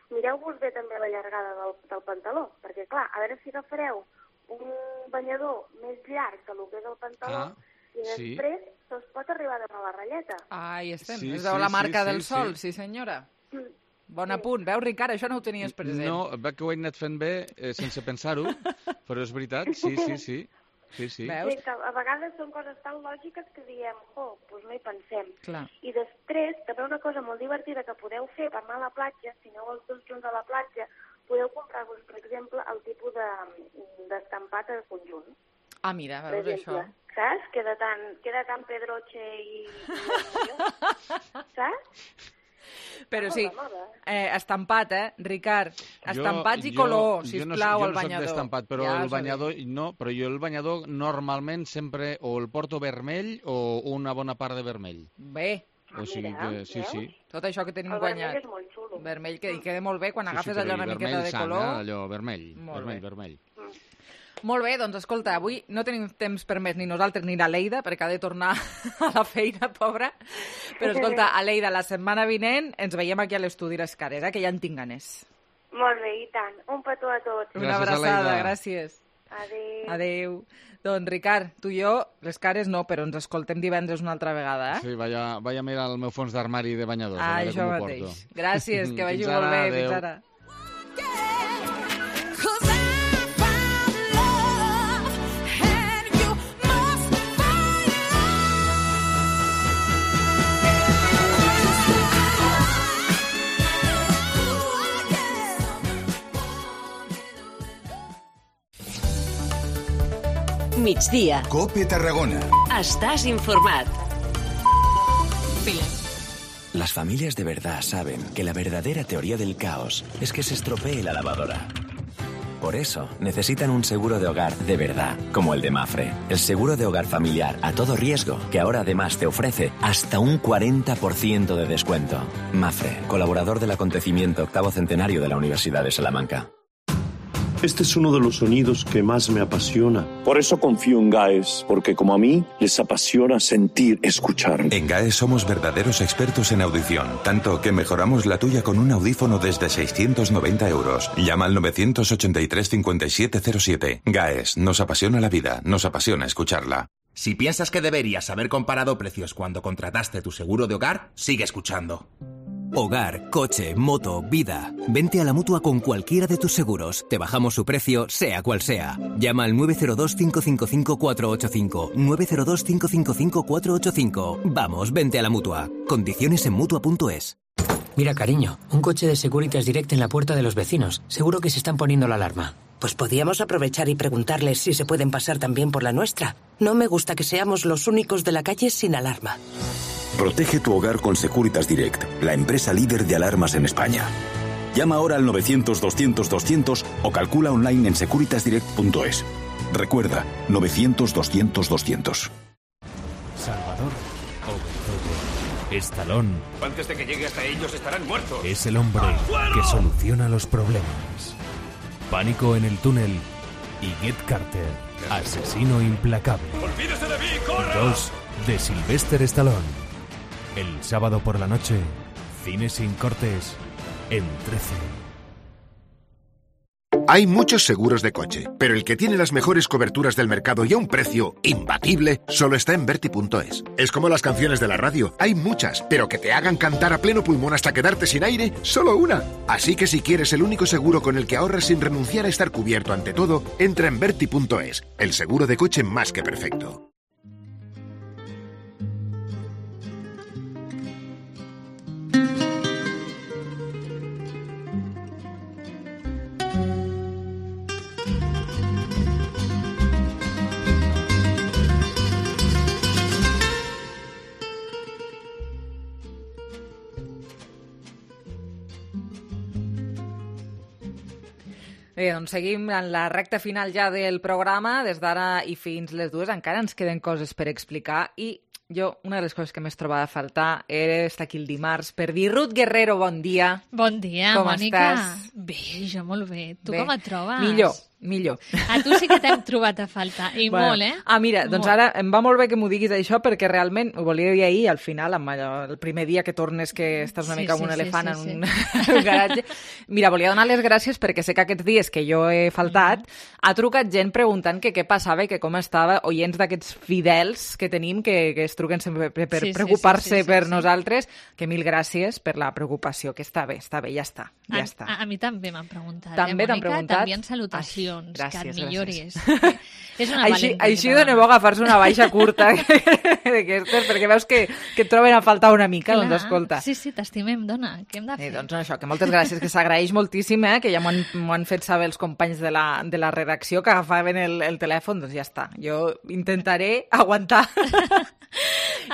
mireu-vos bé també la llargada del, del pantaló, perquè clar, a veure si agafareu un banyador més llarg que el que és el pantaló, Ah, i sí. després se'ls pot arribar a donar la ratlleta. Ah, hi estem. Sí, Es veu sí, la marca sí, del sí, sol, sí. sí, senyora. Mm. Bon apunt. Veus, Ricard, això no ho tenies present. No, veig que ho he anat fent bé eh, sense pensar-ho, però és veritat, sí, sí, sí. Sí, sí. Sí, que a vegades són coses tan lògiques que diem, oh, doncs no hi pensem. Clar. I després, també una cosa molt divertida que podeu fer per anar a la platja, si aneu els dos junts a la platja, podeu comprar-vos, per exemple, el tipus de- d'estampat a conjunt. Ah, mira, Per veus exemple, això. saps? Queda tan, queda tan pedroche i... i saps? Però Està sí, molt de moda. eh, estampat, eh, Ricard? Estampats i jo- color, jo sisplau, no, al jo no soc banyador. d'estampat, però Ja el us ho banyador, no, però jo el banyador normalment sempre o el porto vermell o una bona part de vermell. Bé. O sigui que, sí, sí. Tot això que tenim El guanyat. vermell és molt xulo. Vermell, que hi queda molt bé quan Sí, sí, agafes però allò i una vermell miqueta de sang, color. eh, allò vermell, Molt vermell, bé. vermell. Molt bé, doncs escolta, avui no tenim temps per més ni nosaltres ni la Leida, perquè ha de tornar a la feina, pobra. Però escolta, Aleida, la setmana vinent ens veiem aquí a l'estudi Les Cares, eh, que ja en tinc ganes. Molt bé, i tant. Un petó a tots. Una Gràcies, abraçada, Aleida. gràcies. Adéu. Adéu. Doncs, Ricard, tu i jo, Les Cares no, però ens escoltem divendres una altra vegada, eh? Sí, vaya, vaya a mirar el meu fons d'armari de banyadors. Ah, a veure això com ho mateix. porto. Gràcies, que vagi Fins molt ara, bé. adéu. Fins ara. Cause I found love and you migdia. COPE Tarragona. Estàs informat. Las familias de verdad saben que la verdadera teoría del caos es que se estropee la lavadora. Por eso, necesitan un seguro de hogar de verdad, como el de Mafre. El seguro de hogar familiar a todo riesgo, que ahora además te ofrece hasta un cuarenta por ciento de descuento. Mafre, colaborador del acontecimiento octavo centenario de la Universidad de Salamanca. Este es uno de los sonidos que más me apasiona. Por eso confío en GAES, porque como a mí, les apasiona sentir, escuchar. En GAES somos verdaderos expertos en audición, tanto que mejoramos la tuya con un audífono desde seiscientos noventa euros. Llama al nueve ochenta y tres cincuenta y siete cero siete. GAES, nos apasiona la vida, nos apasiona escucharla. Si piensas que deberías haber comparado precios cuando contrataste tu seguro de hogar, sigue escuchando. Hogar, coche, moto, vida. Vente a la Mutua con cualquiera de tus seguros. Te bajamos su precio, sea cual sea. Llama al nueve cero dos, cinco cinco cinco, cuatro ocho cinco. nueve cero dos, cinco cinco cinco, cuatro ocho cinco. Vamos, vente a la Mutua. Condiciones en Mutua punto es. Mira, cariño, un coche de Securitas Direct en la puerta de los vecinos. Seguro que se están poniendo la alarma. Pues podíamos aprovechar y preguntarles si se pueden pasar también por la nuestra. No me gusta que seamos los únicos de la calle sin alarma. Protege tu hogar con Securitas Direct, la empresa líder de alarmas en España. Llama ahora al novecientos, doscientos, doscientos o calcula online en securitas direct punto es. Recuerda, novecientos, doscientos, doscientos. Salvador Obertoyo, Estalón. Antes de que llegue hasta ellos estarán muertos. Es el hombre que soluciona los problemas. Pánico en el túnel y Get Carter, asesino implacable. ¡Olvídese de mí, corra! Dos de Sylvester Stallone. El sábado por la noche, Cine sin cortes, en trece. Hay muchos seguros de coche, pero el que tiene las mejores coberturas del mercado y a un precio imbatible solo está en Verti punto es. Es como las canciones de la radio, hay muchas, pero que te hagan cantar a pleno pulmón hasta quedarte sin aire, solo una. Así que si quieres el único seguro con el que ahorras sin renunciar a estar cubierto ante todo, entra en Verti punto es, el seguro de coche más que perfecto. Bé, doncs seguim en la recta final ja del programa. Des d'ara i fins les dues encara ens queden coses per explicar i jo, una de les coses que més trobava a faltar era estar aquí el dimarts per dir Ruth Guerrero, bon dia. Bon dia, com Mònica. Estàs? Bé, jo molt bé. Tu bé. Com et trobes? Millor, millor. A tu sí que t'hem trobat a faltar, i bueno, molt, eh? Ah, mira, doncs molt. ara em va molt bé que m'ho diguis això perquè realment ho volia dir ahir, al final, amb allò, el primer dia que tornes que estàs una Sí, mica sí, amb un sí, elefant sí, en un, un garatge. Mira, volia donar les gràcies perquè sé que aquests dies que jo he faltat mm. ha trucat gent preguntant que què passava i que com estava, oients d'aquests fidels que tenim que, que es truquen sempre per, per Sí, sí, preocupar-se sí, sí, sí, per sí. nosaltres, que mil gràcies per la preocupació, que està bé, està bé, ja està, ja A, està. a, a mi també m'han preguntat, També eh, t'han Mònica? preguntat? T'envien salutacions, Ai, gràcies, que et milloris. gràcies. És una Així, valenta. així dona bo agafar-se una baixa curta d'aquestes, perquè veus que, que et troben a faltar una mica, Clar. doncs escolta. Sí, sí, t'estimem, dona. Què hem de fer? Eh, doncs això, que moltes gràcies, que s'agraeix moltíssim, eh, que ja m'ho han, m'ho han fet saber els companys de la, de la redacció, que agafaven el, el telèfon, doncs ja està. Jo intentaré aguantar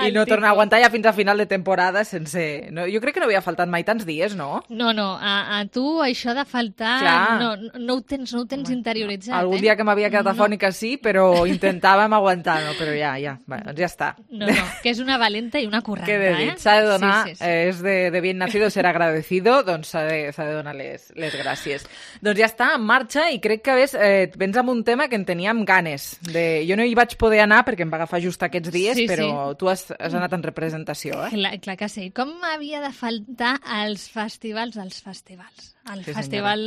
i no tornar a aguantar ja fins a final de temporada sense... No, jo crec que no havia faltat mai tants dies, no? No, no, a, a tu això de faltar Clar. no, no, ho tens, no ho tens interioritzat. Algun eh? dia que m'havia quedat no. afònica sí, però intentàvem aguantar, no? Però ja, ja, bé, doncs ja està. No, no, que és una valenta i una correnta, Què he de dir? eh? S'ha de donar, Sí, sí, sí. eh, és de, de bien nacido ser agradecido, doncs s'ha de, s'ha de donar les, les gràcies. Doncs ja està, en marxa, i crec que ves, eh, vens amb un tema que en teníem ganes. De... Jo no hi vaig poder anar perquè em va agafar just aquests dies, Sí, però sí. tu has, has anat en representació, eh? Clar, clar que sí. Com havia de faltar als festivals dels festivals? El Sí, festival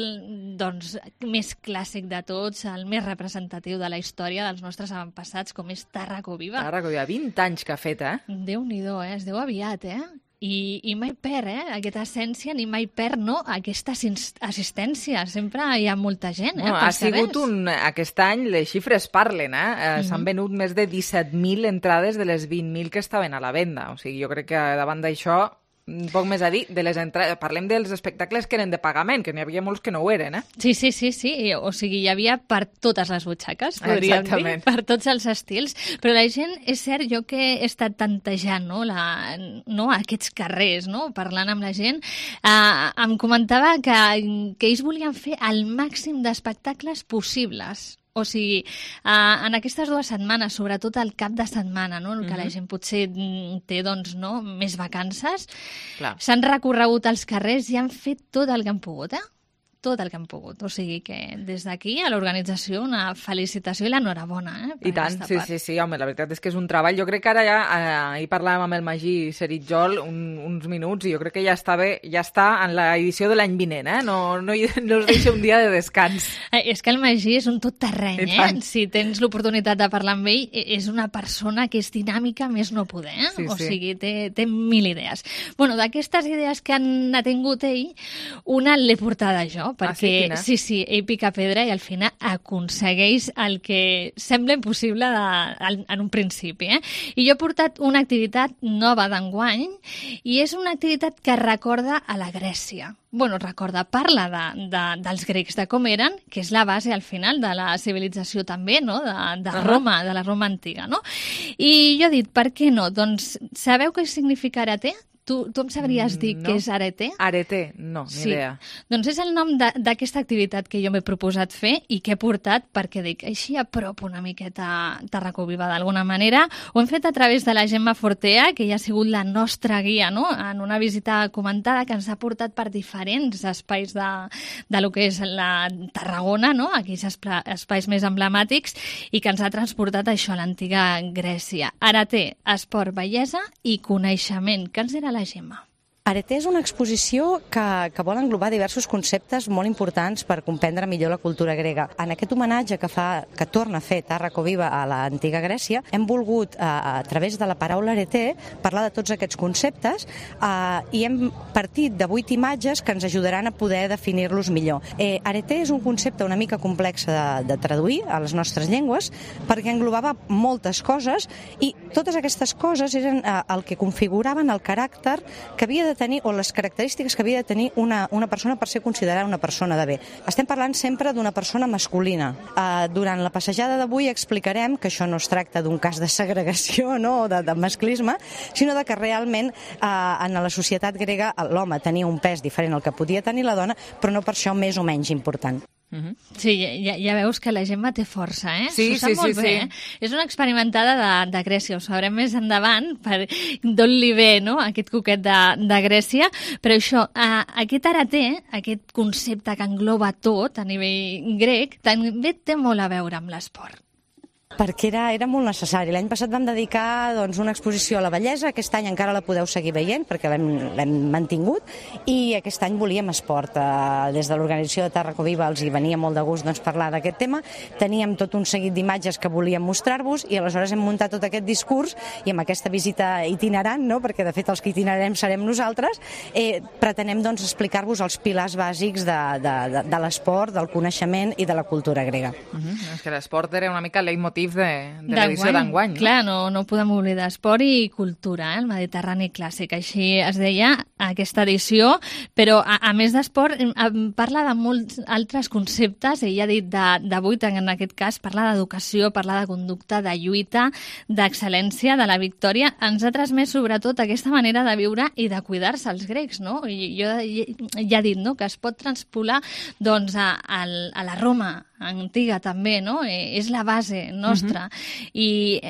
doncs, més clàssic de tots, el més representatiu de la història dels nostres avantpassats, com és Tàrraco Viva. Tàrraco Viva, vint anys que ha fet, eh? Déu-n'hi-do, eh? Es deu aviat, eh? I, i mai perd, eh? Aquesta essència, ni mai perd, no? Aquesta assis- assistència. Sempre hi ha molta gent, eh? No, ha sigut un... Aquest any les xifres parlen, eh? eh Mhm. S'han venut més de disset mil entrades de les vint mil que estaven a la venda. O sigui, jo crec que davant d'això poc més a dir, de les entrades. Parlem dels espectacles que eren de pagament, que n'hi havia molts que no ho eren, eh? Sí, sí, sí, sí. O sigui, hi havia per totes les butxaques, podríem Exactament. dir, per tots els estils. Però la gent, és cert, jo que he estat tantejant, no, la, no aquests carrers, no, parlant amb la gent, eh, em comentava que, que ells volien fer el màxim d'espectacles possibles. O sigui, eh, en aquestes dues setmanes, sobretot el cap de setmana, no? En què la gent potser té doncs, no? més vacances, s'han recorregut els carrers i han fet tot el que han pogut, eh? tot el que han pogut. O sigui que des d'aquí a l'organització una felicitació i l'enhorabona. Eh, I tant, sí, sí, sí, home, la veritat és que és un treball. Jo crec que ara ja, eh, ahir parlàvem amb el Magí Seritjol un, uns minuts i jo crec que ja està bé, ja està en l'edició de l'any vinent, eh? No, no, no us deixa un dia de descans. Eh, és que el Magí és un tot terreny, eh? Si tens l'oportunitat de parlar amb ell, és una persona que és dinàmica més no poder, eh? Sí, o sí. sigui, té, té mil idees. Bueno, d'aquestes idees que han tingut ell, una l'he portada jo, perquè ah, sí, sí, sí, ell pica pedra i al final aconsegueix el que sembla impossible de, en un principi. Eh? I jo he portat una activitat nova d'enguany i és una activitat que recorda a la Grècia. Bueno, recorda, parla de, de, dels grecs, de com eren, que és la base al final de la civilització també, no? de, de Roma, de la Roma antiga. No? I jo he dit, per què no? Doncs sabeu què significa Arete? Tu, tu em sabries dir no. què és Arete? Arete, no, ni sí. idea. Doncs és el nom d'aquesta activitat que jo m'he proposat fer i que he portat perquè dic, així a prop una miqueta Tàrraco Viva d'alguna manera. Ho hem fet a través de la Gemma Fortea, que ja ha sigut la nostra guia, no? En una visita comentada que ens ha portat per diferents espais de, de lo que és la Tarragona, no? Aquells espais més emblemàtics i que ens ha transportat això a l'antiga Grècia. Arete, esport, bellesa i coneixement. Que ens era la la Gemma. Arete és una exposició que, que vol englobar diversos conceptes molt importants per comprendre millor la cultura grega. En aquest homenatge que, fa, que torna a fer Tàrraco Viva a l'antiga Grècia, hem volgut, a, a través de la paraula Arete, parlar de tots aquests conceptes eh, i hem partit de vuit imatges que ens ajudaran a poder definir-los millor. Eh, Arete és un concepte una mica complex de, de traduir a les nostres llengües perquè englobava moltes coses i totes aquestes coses eren eh, el que configuraven el caràcter que havia de tenir, o les característiques que havia de tenir una, una persona per ser considerada una persona de bé. Estem parlant sempre d'una persona masculina. Uh, durant la passejada d'avui explicarem que això no es tracta d'un cas de segregació, no?, o de, de masclisme, sinó de que realment uh, en la societat grega l'home tenia un pes diferent al que podia tenir la dona, però no per això més o menys important. Uh-huh. Sí, ja, ja veus que la Gemma té força, eh? Sí, S'ho sap sí, molt sí, bé, sí. Eh? És una experimentada de, de Grècia, ho sabrem més endavant, per d'on li ve, no?, aquest coquet de, de Grècia, però això, eh, aquest Arete, aquest concepte que engloba tot a nivell grec, també té molt a veure amb l'esport. Perquè era, era molt necessari. L'any passat vam dedicar doncs, una exposició a la bellesa, aquest any encara la podeu seguir veient perquè l'hem mantingut, i aquest any volíem esport. Uh, des de l'organització de Tàrraco Viva els hi venia molt de gust doncs, parlar d'aquest tema. Teníem tot un seguit d'imatges que volíem mostrar-vos i aleshores hem muntat tot aquest discurs i amb aquesta visita itinerant, no? Perquè de fet els que itinerarem serem nosaltres, eh, pretenem doncs, explicar-vos els pilars bàsics de, de, de, de l'esport, del coneixement i de la cultura grega. Uh-huh. És que l'esport era una mica el leitmotiv de, de l'edició d'enguany. No? Clar, no, no podem oblidar esport i cultura, eh? El Mediterrani clàssic, així es deia aquesta edició, però a, a més d'esport parla de molts altres conceptes, ell ha dit d'avui, en aquest cas, parla d'educació, parla de conducta, de lluita, d'excel·lència, de la victòria, ens ha transmès sobretot aquesta manera de viure i de cuidar-se els grecs, no? I jo ja he dit, no?, que es pot transpolar doncs, a, a, a la Roma antiga també, no? És la base nostra. Uh-huh. I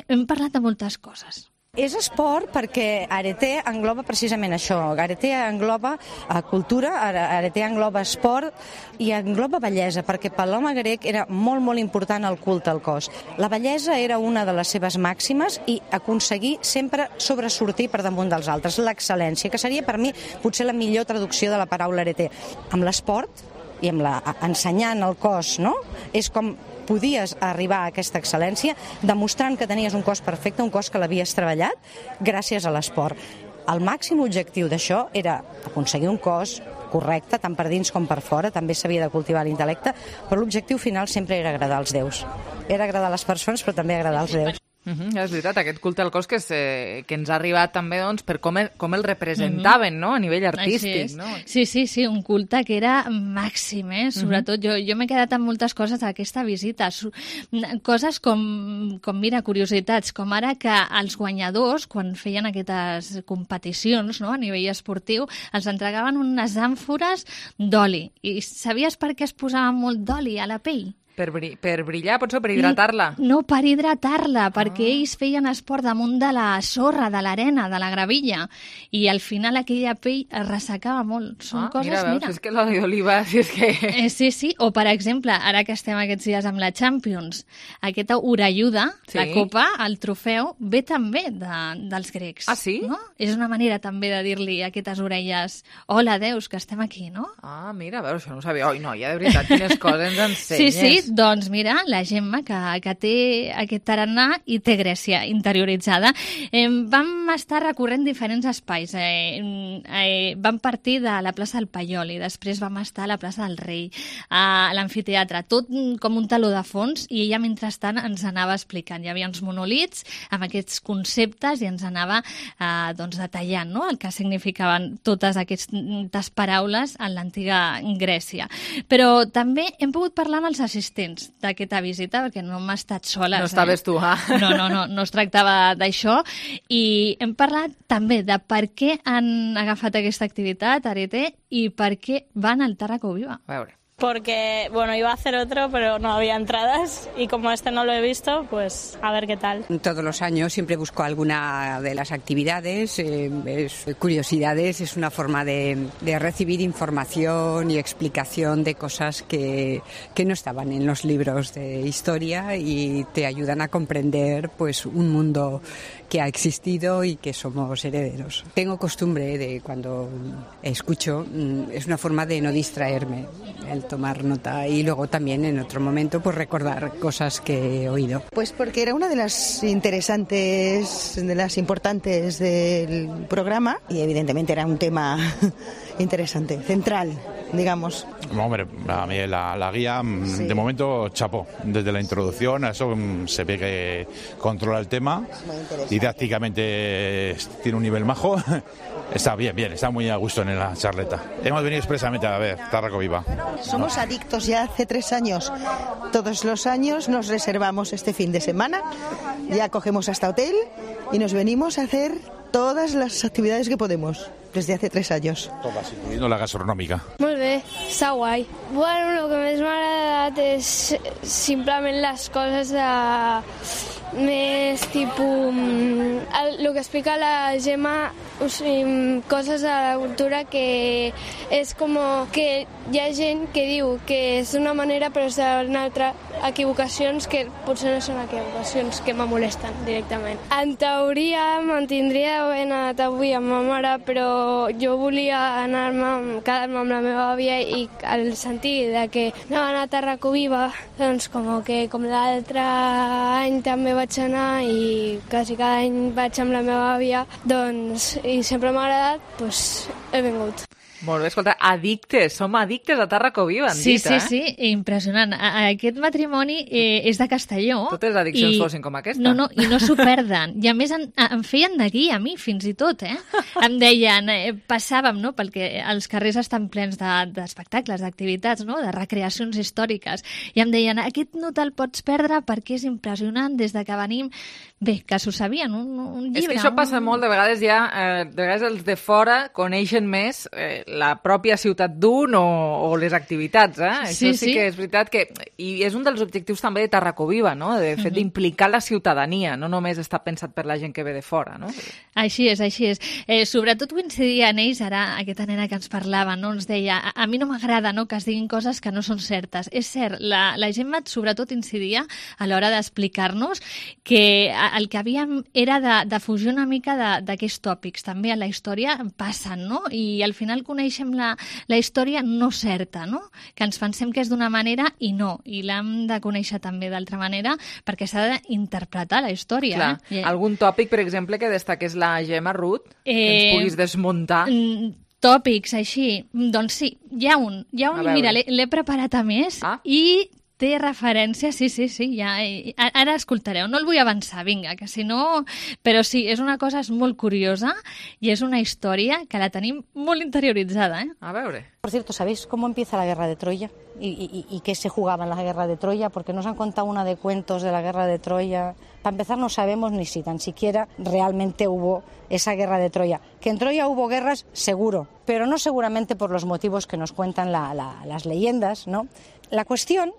hem parlat de moltes coses. És esport perquè Arete engloba precisament això. Arete engloba uh, cultura, Arete engloba esport i engloba bellesa, perquè per l'home grec era molt, molt important el culte al cos. La bellesa era una de les seves màximes i aconseguir sempre sobresortir per damunt dels altres, l'excel·lència, que seria per mi potser la millor traducció de la paraula Arete. Amb l'esport i amb la, ensenyant el cos, no?, és com podies arribar a aquesta excel·lència demostrant que tenies un cos perfecte, un cos que l'havies treballat gràcies a l'esport. El màxim objectiu d'això era aconseguir un cos correcte, tant per dins com per fora, també s'havia de cultivar l'intel·lecte, però l'objectiu final sempre era agradar als déus. Era agradar a les persones, però també agradar als déus. Uh-huh, és veritat, aquest culte al cos que, és, eh, que ens ha arribat també doncs, per com el, com el representaven, uh-huh. no? A nivell artístic. No? Sí, sí, sí, un culte que era màxim, eh? Sobretot uh-huh. jo, jo m'he quedat amb moltes coses d'aquesta visita. Coses com, com, mira, curiositats, com ara que els guanyadors, quan feien aquestes competicions, no? A nivell esportiu, els entregaven unes àmfores d'oli. I sabies per què es posava molt d'oli a la pell? Per, bri per brillar, potser per hidratar-la? No, per hidratar-la, ah. perquè ells feien esport damunt de la sorra, de l'arena, de la gravilla, i al final aquella pell es ressecava molt. Són ah, coses, mira, veus, mira. és que l'oli d'oliva, si és que... Eh, sí, sí, o per exemple, ara que estem aquests dies amb la Champions, aquesta orelluda, sí. la copa, el trofeu, ve també de, dels grecs. Ah, sí? No? És una manera també de dir-li a aquestes orelles, hola, Déus, que estem aquí, no? Ah, mira, a veure, això no ho sabia. Oi, noia, de veritat, quines coses ens ensenyes. Sí, sí, doncs mira, la Gemma, que, que té aquest tarannà i té Grècia interioritzada. Eh, vam estar recorrent diferents espais. Eh, eh, vam partir de la plaça del Paiol i després vam estar a la plaça del Rei, a l'amfiteatre, tot com un taló de fons, i ella, mentrestant, ens anava explicant. Hi havia uns monolits amb aquests conceptes i ens anava eh, doncs, detallant, no?, el que significaven totes aquestes paraules en l'antiga Grècia. Però també hem pogut parlar amb els assistents d'aquesta visita, perquè no hem estat soles. No estaves eh? tu, ah? No, no, no, no es tractava d'això. I hem parlat també de per què han agafat aquesta activitat, Arete, i per què van al Tàrraco Viva. A veure. Porque, bueno, iba a hacer otro, pero no había entradas y como este no lo he visto, pues a ver qué tal. Todos los años siempre busco alguna de las actividades, eh, es, curiosidades, es una forma de, de recibir información y explicación de cosas que, que no estaban en los libros de historia y te ayudan a comprender pues un mundo que ha existido y que somos herederos. Tengo costumbre de cuando escucho, es una forma de no distraerme, el tomar nota y luego también en otro momento pues recordar cosas que he oído. Pues porque era una de las interesantes, de las importantes del programa y evidentemente era un tema interesante, central, digamos. Hombre, a mí la, la guía, sí. De momento, chapó. Desde la introducción, a eso se ve que controla el tema. Didácticamente tiene un nivel majo. Está bien, bien, está muy a gusto en la charleta. Hemos venido expresamente a ver Tàrraco Viva. Somos no. adictos ya hace tres años. Todos los años nos reservamos este fin de semana, ya cogemos hasta hotel y nos venimos a hacer todas las actividades que podemos, desde hace tres años. Todas, incluyendo la gastronòmica. Molt bé, està guai. Bueno, el que més m'ha agradat és simplement les coses de... més tipus... El, el que explica la Gemma, o sigui, coses de la cultura que és com que hi ha gent que diu que és d'una manera però és d'una altra, equivocacions que potser no són equivocacions, que me molesten directament. En teoria mantindria d'haver anat avui amb ma mare, però jo volia anar-me, quedar-me amb la meva àvia i al sentir de que anaven a Tàrraco Viva, doncs com que com l'altre any també vaig anar i quasi cada any vaig amb la meva àvia, doncs, i sempre m'ha agradat, doncs he vingut. Molt bé, escolta, addictes, som addictes a Tàrraco Viva, han sí, dit, sí, eh? Sí, sí, impressionant. Aquest matrimoni eh, és de Castelló. Totes les addiccions i... fossin com aquesta. No, no, i no s'ho perden. I a més en, em feien de guia a mi, fins i tot, eh? Em deien, eh, passàvem, no?, perquè els carrers estan plens d'espectacles, de, d'activitats, no?, de recreacions històriques, i em deien, aquest no te'l pots perdre perquè és impressionant des de que venim. Bé, que s'ho sabien, un, un llibre. És que això passa un... molt, de vegades ja, eh, de vegades els de fora coneixen més eh, la pròpia ciutat d'un o, o les activitats, eh? Sí, Això sí, sí que és veritat que... I és un dels objectius també de Tàrraco Viva, no?, de fet d'implicar la ciutadania, no només està pensat per la gent que ve de fora, no? Així és, així és. Eh, sobretot coincidia en ells, ara, aquesta nena que ens parlava, no?, ens deia, a, a mi no m'agrada, no?, que es diguin coses que no són certes. És cert, la, la Gemma sobretot incidia a l'hora d'explicar-nos que el que havíem era de, de fugir una mica d'aquests tòpics. També a la història passen, no?, i al final coneixem la, la història no certa, no?, que ens pensem que és d'una manera i no, i l'hem de conèixer també d'altra manera perquè s'ha d'interpretar la història. Clar. Eh? Algun tòpic, per exemple, que destaqués la Gemma, Ruth, que eh, ens puguis desmuntar? Tòpics, així. Doncs sí, hi ha un. Hi ha un, mira, l'he preparat a més ah. i té referència, sí, sí, sí, ja, ara escoltareu, no el vull avançar, vinga, que si no... Però sí, és una cosa molt curiosa i és una història que la tenim molt interioritzada, ¿eh? A veure. Por cierto, ¿sabéis cómo empieza la guerra de Troya? ¿Y, y, y qué se jugaba en la guerra de Troya? Porque nos han contado una de cuentos de la guerra de Troya. Para empezar, no sabemos ni si tan siquiera realmente hubo esa guerra de Troya. Que en Troya hubo guerras, seguro, pero no seguramente por los motivos que nos cuentan la, la, las leyendas, ¿no? La cuestión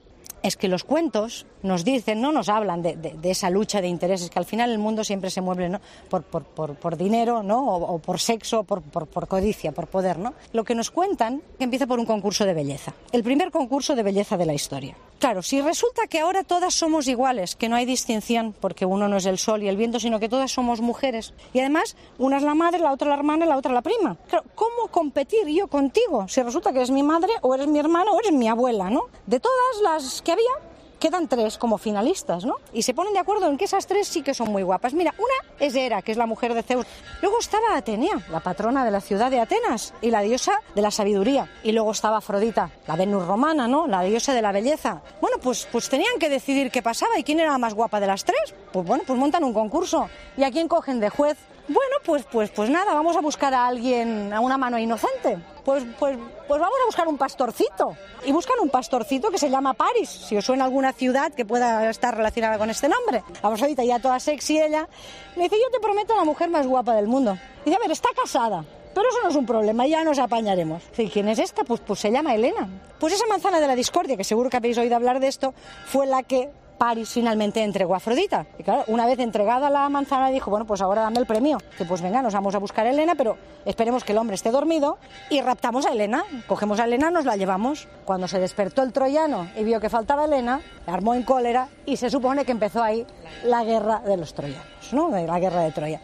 es que los cuentos nos dicen, no nos hablan de, de, de esa lucha de intereses, que al final el mundo siempre se mueve, ¿no? por, por, por, por dinero, ¿no? o, o por sexo, por, por, por codicia, por poder, ¿no? Lo que nos cuentan que empieza por un concurso de belleza, el primer concurso de belleza de la historia. Claro, si resulta que ahora todas somos iguales, que no hay distinción, porque uno no es el sol y el viento, sino que todas somos mujeres, y además una es la madre, la otra la hermana, la otra la prima. Claro, ¿cómo competir yo contigo si resulta que eres mi madre, o eres mi hermana, o eres mi abuela, ¿no? De todas las que había, quedan tres como finalistas, ¿no? Y se ponen de acuerdo en que esas tres sí que son muy guapas. Mira, una es Hera, que es la mujer de Zeus. Luego estaba Atenea, la patrona de la ciudad de Atenas y la diosa de la sabiduría. Y luego estaba Afrodita, la Venus romana, ¿no? La diosa de la belleza. Bueno, pues, pues tenían que decidir qué pasaba y quién era la más guapa de las tres. Pues bueno, pues montan un concurso. ¿Y a quién cogen de juez? Bueno, pues, pues, pues nada, vamos a buscar a alguien, a una mano inocente. Pues, pues, pues vamos a buscar un pastorcito. Y buscan un pastorcito que se llama Paris, si os suena alguna ciudad que pueda estar relacionada con este nombre. Vamos ahorita ya toda sexy ella. Me dice, yo te prometo la mujer más guapa del mundo. Y dice, a ver, está casada. Pero eso no es un problema, ya nos apañaremos. ¿Y quién es esta? Pues, pues se llama Helena. Pues esa manzana de la discordia, que seguro que habéis oído hablar de esto, fue la que Paris finalmente entregó a Afrodita. Y claro, una vez entregada la manzana, dijo, bueno, pues ahora dame el premio. Que pues venga, nos vamos a buscar a Helena, pero esperemos que el hombre esté dormido y raptamos a Helena. Cogemos a Helena, nos la llevamos. Cuando se despertó el troyano y vio que faltaba Helena, armó en cólera y se supone que empezó ahí la guerra de los troyanos, ¿no? La guerra de Troya.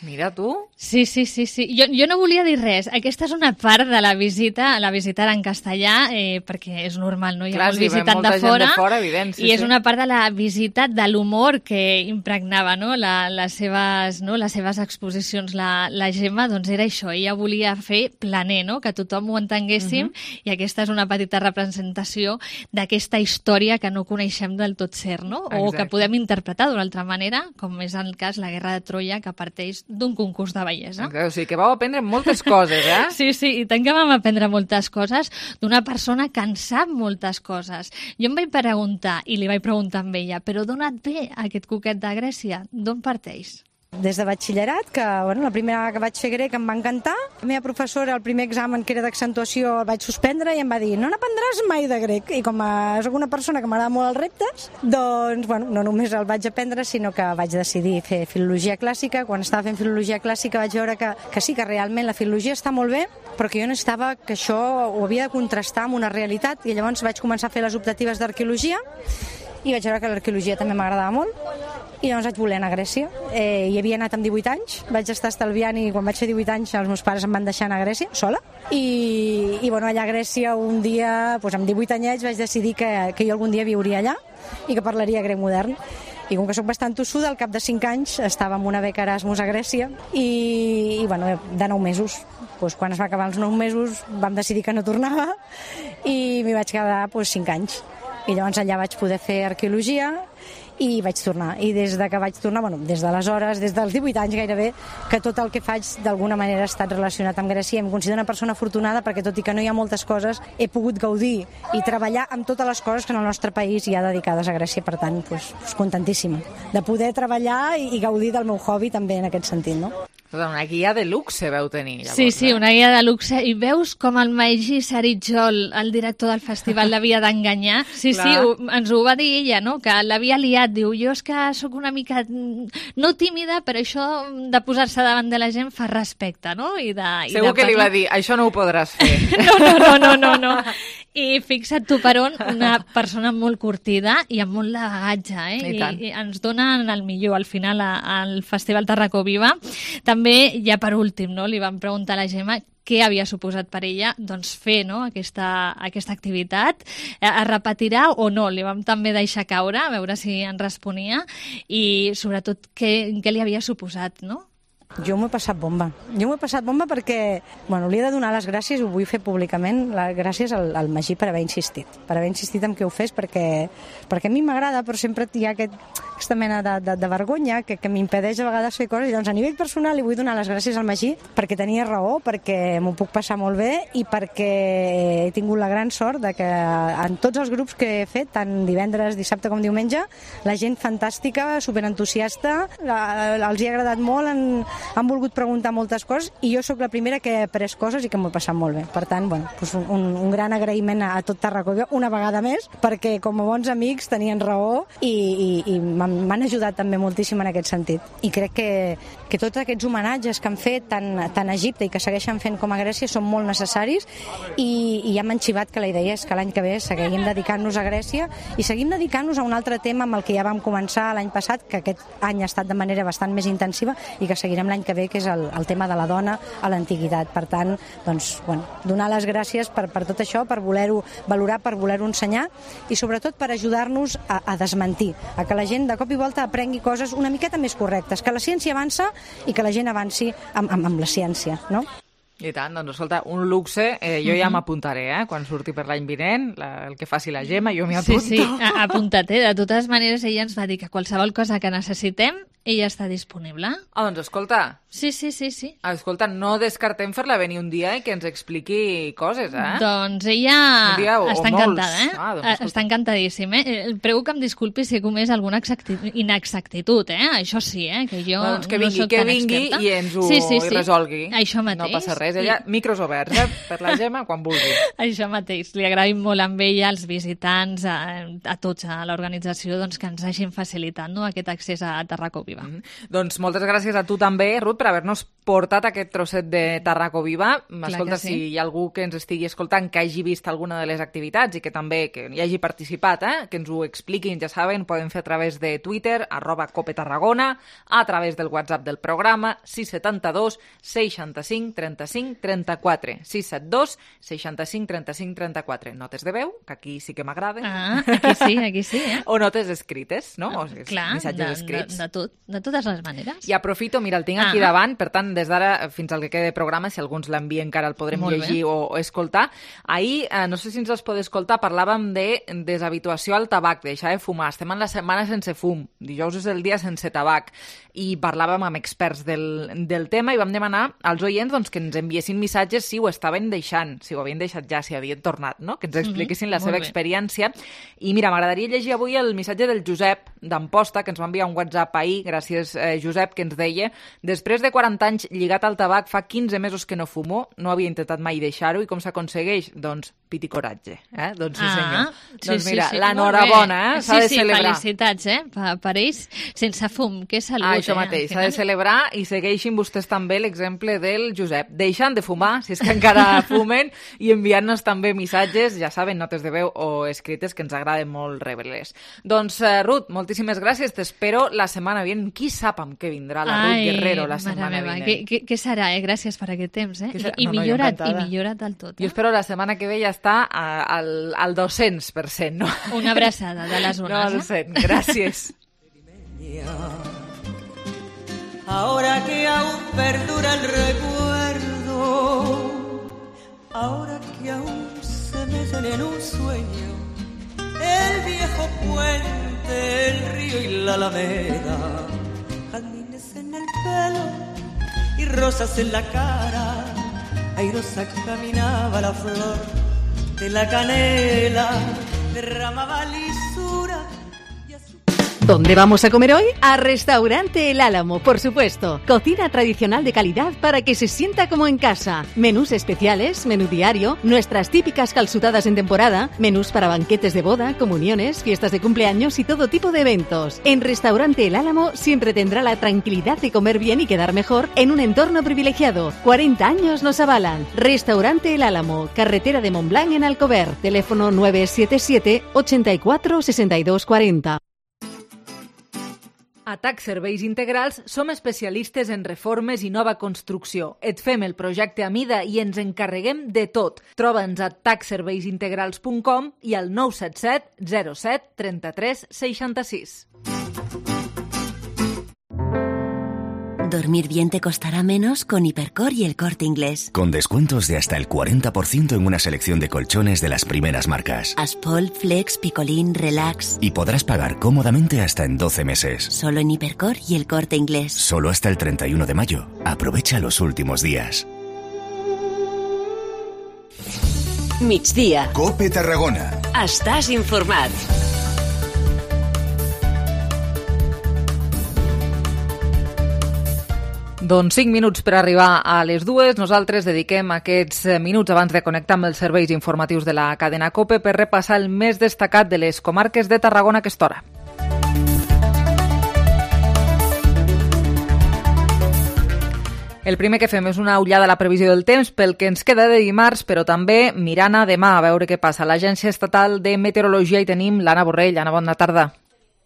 Mira tu. Sí, sí, sí, sí. Jo, jo no volia dir res. Aquesta és una part de la visita, la visitar en castellà, eh, perquè és normal, no? Hi ha Clar, molts visitant de fora, de fora evident, sí, i és sí. una part de la visita de l'humor que impregnava, no? La, les, seves, no? les seves exposicions. La, la Gemma, doncs era això, ella volia fer planer, no? Que tothom ho entenguéssim, uh-huh. I aquesta és una petita representació d'aquesta història que no coneixem del tot cert, no? O Exacte. Que podem interpretar d'una altra manera, com és el cas la Guerra de Troia, que parteix d'un concurs de bellesa. O sigui que vau aprendre moltes coses, eh? Sí, sí, i tant que vam aprendre moltes coses d'una persona que en sap moltes coses. Jo em vaig preguntar, i li vaig preguntar amb ella, però d'on et ve aquest cuquet de Grècia? D'on parteix? Des de batxillerat, que bueno, la primera vegada que vaig fer grec em va encantar. La meva professora, el primer examen que era d'accentuació, el vaig suspendre i em va dir no n'aprendràs mai de grec. I com a, soc una persona que m'agrada molt els reptes, doncs bueno, no només el vaig aprendre, sinó que vaig decidir fer filologia clàssica. Quan estava fent filologia clàssica vaig veure que, que sí, que realment la filologia està molt bé, però que jo necessitava que això ho havia de contrastar amb una realitat, i llavors vaig començar a fer les optatives d'arqueologia i vaig veure que l'arqueologia també m'agradava molt. I llavors vaig voler anar a Grècia. Eh, hi havia anat amb divuit anys, vaig estar estalviant i quan vaig fer divuit anys els meus pares em van deixar anar a Grècia, sola. I, i bueno, allà a Grècia un dia, doncs amb divuit anyets, vaig decidir que, que jo algun dia viuria allà i que parlaria grec modern. I com que soc bastant tossuda, al cap de cinc anys estava amb una beca Erasmus a Grècia i, i bueno, de nou mesos. Pues, quan es va acabar els nou mesos vam decidir que no tornava i m'hi vaig quedar pues, cinc anys. I llavors allà vaig poder fer arqueologia i vaig tornar. I des de que vaig tornar, bueno, des d'aleshores, des dels divuit anys gairebé, que tot el que faig d'alguna manera ha estat relacionat amb Grècia. Em considero una persona afortunada perquè, tot i que no hi ha moltes coses, he pogut gaudir i treballar amb totes les coses que en el nostre país hi ha dedicades a Grècia. Per tant, pues, pues, contentíssima de poder treballar i, i gaudir del meu hobby també en aquest sentit, no? Una guia de luxe veu tenir, llavors. Sí, sí, una guia de luxe. I veus com el Maigi Saritjol, el director del festival, l'havia d'enganyar? Sí, Clar. sí, ho, ens ho va dir ella, no? Que l'havia liat. Diu, jo és que sóc una mica, no tímida, però això de posar-se davant de la gent fa respecte, no? I de, Segur i de que li va dir, això no ho podràs fer. No, no, no, no, no, no. I fixa't tu per on, una persona molt curtida i amb molt de bagatge, eh? I, I, i ens donen el millor al final a, al Festival Tarracó Viva. També, ja per últim, no? Li vam preguntar a la Gemma què havia suposat per ella doncs, fer no? aquesta, aquesta activitat. Es repetirà o no? Li vam també deixar caure, a veure si en responia, i sobretot què, què li havia suposat, no? Jo m'ho he passat bomba. Jo m'ho he passat bomba perquè, bueno, li he de donar les gràcies, ho vull fer públicament, les gràcies al, al Magí per haver insistit, per haver insistit en que ho fes, perquè, perquè a mi m'agrada, però sempre hi ha aquest, aquesta mena de, de, de vergonya que, que m'impedeix a vegades fer coses, i doncs a nivell personal li vull donar les gràcies al Magí perquè tenia raó, perquè m'ho puc passar molt bé i perquè he tingut la gran sort de que en tots els grups que he fet, tant divendres, dissabte com diumenge, la gent fantàstica, superentusiasta, la, els hi ha agradat molt, han, han volgut preguntar moltes coses i jo sóc la primera que he après coses i que m'ho he passat molt bé. Per tant, bueno, doncs un, un gran agraïment a, a tot Tarragona, una vegada més, perquè com a bons amics tenien raó i, i, i m'han ajudat també moltíssim en aquest sentit. I crec que, que tots aquests homenatges que han fet tant, tant a Egipte i que segueixen fent com a Grècia són molt necessaris i, i ja m'han xivat que la idea és que l'any que ve seguim dedicant-nos a Grècia i seguim dedicant-nos a un altre tema amb el que ja vam començar l'any passat, que aquest any ha estat de manera bastant més intensiva i que seguirem l'any que ve, que és el, el tema de la dona a l'antiguitat. Per tant, doncs, bueno, donar les gràcies per, per tot això, per voler-ho valorar, per voler-ho ensenyar i sobretot per ajudar-nos a, a desmentir, a que la gent de cop i volta aprengui coses una miqueta més correctes, que la ciència avança i que la gent avanci amb, amb, amb la ciència, no? I tant, doncs escolta, un luxe, eh, jo ja m'apuntaré, eh, quan surti per l'any vinent, la, el que faci la Gemma, jo m'hi apunto. Sí, sí, apunta't-te. De totes maneres, ella ens va dir que qualsevol cosa que necessitem, ella està disponible. Ah, doncs escolta. Sí, sí, sí, sí. Escolta, no descartem fer-la venir un dia i que ens expliqui coses, eh? Doncs ella o, està o encantada, eh? Ah, doncs, està encantadíssima, eh? Prego que em disculpi si he comès alguna inexactitud, eh? Això sí, eh? Que jo doncs que vingui, no soc que tan vingui experta. I ens ho sí, sí, sí. resolgui. Això mateix. No passa res. Ella, micros oberts, eh? Per la Gemma, quan vulgui. Això mateix. Li agraïm molt amb ella, als visitants, a, a tots, a l'organització, doncs, que ens hagin facilitat, no?, aquest accés a Tarraco Viva. Mm -hmm. Doncs moltes gràcies a tu també, Ruth, per haver-nos portat aquest trosset de Tarraco Viva. Escolta, sí. Si hi ha algú que ens estigui escoltant que hagi vist alguna de les activitats i que també que hi hagi participat, eh? Que ens ho expliquin, ja saben, poden fer a través de Twitter, arroba Cope Tarragona, a través del WhatsApp del programa, sis set dos, seixanta-cinc, trenta-cinc, trenta-quatre, sis set dos, seixanta-cinc, trenta-cinc, trenta-quatre. Notes de veu, que aquí sí que m'agrada. Ah, aquí sí, aquí sí, eh? O notes escrites, no? O Clar, missatges de, escrits. De, de, tot, de totes les maneres. I aprofito, mira, el tinc aquí ah. davant, per tant, des d'ara fins al que quede de programa, si algú ens l'envia encara el podrem Molt llegir bé. o, o escoltar. Ahir, eh, no sé si ens els podeu escoltar, parlàvem de deshabituació al tabac, de deixar de fumar. Estem en la setmana sense fum, dijous és el dia sense tabac, i parlàvem amb experts del, del tema i vam demanar als oients doncs, que ens enviessin missatges si ho estaven deixant, si ho havien deixat ja, si havien tornat, no? Que ens expliquessin mm -hmm. la seva experiència. I mira, m'agradaria llegir avui el missatge del Josep d'Amposta, que ens va enviar un WhatsApp ahir, gràcies eh, Josep, que ens deia: després de quaranta anys lligat al tabac, fa quinze mesos que no fumo, no havia intentat mai deixar-ho, i com s'aconsegueix? Doncs pit i coratge, eh? Doncs sí, senyor. Ah, sí, doncs mira, sí, sí, l'enhorabona, eh? S'ha sí, de sí, celebrar. felicitats, eh? Per, per ells, sense fum, que salut, ah, això eh? mateix, s'ha de celebrar, i segueixin vostès també l'exemple del Josep. Deixant de fumar, si és que encara fumen, i enviant-nos també missatges, ja saben, notes de veu o escrites, que ens agraden molt rebre-les. Doncs, uh, Ruth, moltíssimes gràcies, t'espero la setmana vinent. Qui sap amb què vindrà la Ruth Ai, Guerrero la setmana meva, vinent? Què, què, què serà, eh? Gràcies per aquest temps, eh? I, i, no, no, millora't, i millora't del tot. Eh? Jo espero la setmana que ve ja està a, al, al dos-cents per cent, no? Una abraçada de les ones, no, al cent. Eh? Gràcies. Ahora que aún perdura el recuerdo, ahora que aún se meten en un sueño, el viejo puente, el río y la alameda, jazmines en el pelo y rosas en la cara, airosa caminaba la flor de la canela, derramaba lisura. ¿Dónde vamos a comer hoy? A Restaurante El Álamo, por supuesto. Cocina tradicional de calidad para que se sienta como en casa. Menús especiales, menú diario, nuestras típicas calzutadas en temporada, menús para banquetes de boda, comuniones, fiestas de cumpleaños y todo tipo de eventos. En Restaurante El Álamo siempre tendrá la tranquilidad de comer bien y quedar mejor en un entorno privilegiado. cuarenta años nos avalan. Restaurante El Álamo, carretera de Montblanc en Alcover. Teléfono nueve siete siete, ochenta y cuatro, sesenta y dos cuarenta. A T A C Serveis Integrals som especialistes en reformes i nova construcció. Et fem el projecte a mida i ens encarreguem de tot. Troba'ns a tac serveis integrals punt com i al nou set set, zero set, trenta-tres, seixanta-sis. Dormir bien te costará menos con Hipercor y El Corte Inglés. Con descuentos de hasta el cuarenta por ciento en una selección de colchones de las primeras marcas. Aspol, Flex, Picolín, Relax. Y podrás pagar cómodamente hasta en doce meses. Solo en Hipercor y El Corte Inglés. Solo hasta el treinta y uno de mayo. Aprovecha los últimos días. Migdia. Cope Tarragona. Estàs informat. Doncs cinc minuts per arribar a les dues. Nosaltres dediquem aquests minuts abans de connectar amb els serveis informatius de la cadena COPE per repassar el més destacat de les comarques de Tarragona a aquesta hora. El primer que fem és una ullada a la previsió del temps pel que ens queda de dimarts, però també mirant a demà a veure què passa. A l'Agència Estatal de Meteorologia hi tenim l'Anna Borrell. Anna, bona tarda.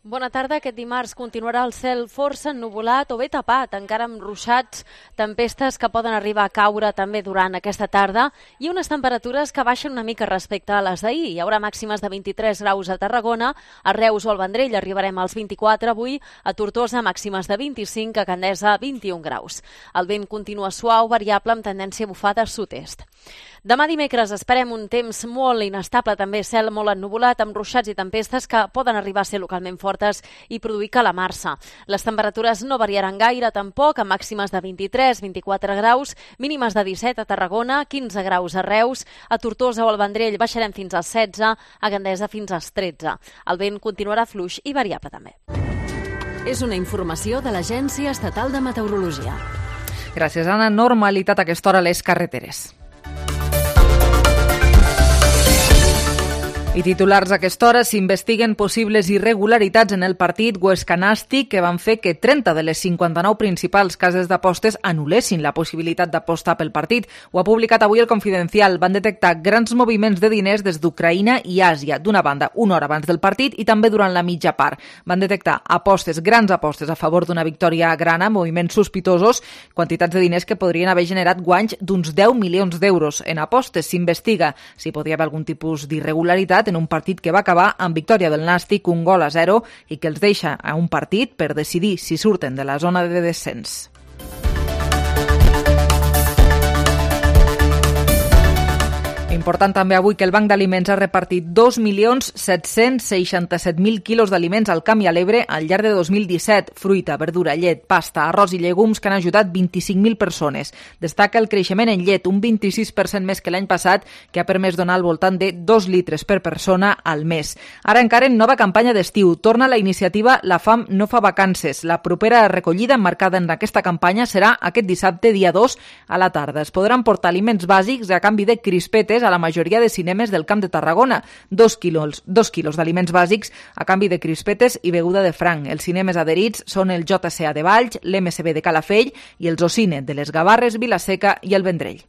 Bona tarda. Aquest dimarts continuarà el cel força ennuvolat o bé tapat, encara amb ruixats, tempestes que poden arribar a caure també durant aquesta tarda i unes temperatures que baixen una mica respecte a les d'ahir. Hi haurà màximes de vint-i-tres graus a Tarragona, a Reus o al Vendrell arribarem als vint-i-quatre avui, a Tortosa màximes de vint-i-cinc, a Candesa vint-i-un graus. El vent continua suau, variable amb tendència a bufar de sud-est. Demà dimecres esperem un temps molt inestable, també cel molt ennuvolat, amb ruixats i tempestes que poden arribar a ser localment fortes i produir calamarsa. Les temperatures no variaran gaire tampoc, amb màximes de vint-i-tres a vint-i-quatre graus, mínimes de disset a Tarragona, quinze graus a Reus, a Tortosa o al Vendrell baixarem fins als setze, a Gandesa fins als tretze. El vent continuarà fluix i variable també. És una informació de l'Agència Estatal de Meteorologia. Gràcies, Anna. Normalitat a aquesta hora a les carreteres. I titulars a aquesta hora: s'investiguen possibles irregularitats en el partit Huesca-Nàstic que van fer que trenta de les cinquanta-nou principals cases d'apostes anul·lessin la possibilitat d'apostar pel partit. Ho ha publicat avui el Confidencial. Van detectar grans moviments de diners des d'Ucraïna i Àsia, d'una banda, una hora abans del partit i també durant la mitja part. Van detectar apostes, grans apostes a favor d'una victòria grana, moviments sospitosos, quantitats de diners que podrien haver generat guanys d'uns deu milions d'euros en apostes. S'investiga si podia haver algun tipus d'irregularitat en un partit que va acabar amb victòria del Nàstic, un gol a zero, i que els deixa a un partit per decidir si surten de la zona de descens. Important també avui que el Banc d'Aliments ha repartit dos milions set-cents seixanta-set mil quilos d'aliments al Camp i a l'Ebre al llarg de dos mil disset. Fruita, verdura, llet, pasta, arròs i llegums que han ajudat vint-i-cinc mil persones. Destaca el creixement en llet, un vint-i-sis per cent més que l'any passat, que ha permès donar al voltant de dos litres per persona al mes. Ara encara en nova campanya d'estiu. Torna la iniciativa La Fam no fa vacances. La propera recollida emmarcada en aquesta campanya serà aquest dissabte, dia dos, a la tarda. Es podran portar aliments bàsics a canvi de crispetes a la majoria de cinemes del Camp de Tarragona. Dos quilos, dos quilos d'aliments bàsics a canvi de crispetes i beguda de franc. Els cinemes adherits són el J C A de Valls, l'M S B de Calafell i els Ocine de les Gavarres, Vilaseca i el Vendrell.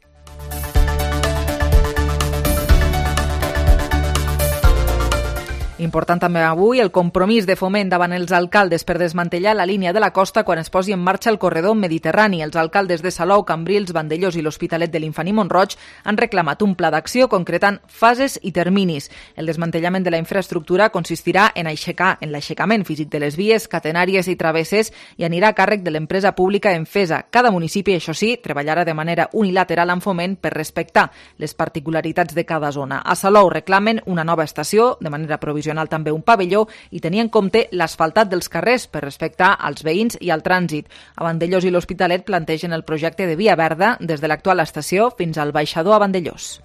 Important també avui el compromís de Foment davant els alcaldes per desmantellar la línia de la costa quan es posi en marxa el corredor mediterrani. Els alcaldes de Salou, Cambrils, Vandellós i l'Hospitalet de l'Infant i Mont-roig han reclamat un pla d'acció concretant fases i terminis. El desmantellament de la infraestructura consistirà en aixecar en l'aixecament físic de les vies, catenàries i travesses i anirà a càrrec de l'empresa pública Enfesa. Cada municipi, això sí, treballarà de manera unilateral amb Foment per respectar les particularitats de cada zona. A Salou reclamen una nova estació, de manera provisional també un pavelló i tenir en compte l'asfaltat dels carrers per respectar als veïns i al trànsit. A Vandellós i l'Hospitalet plantegen el projecte de via verda des de l'actual estació fins al baixador a Vandellós.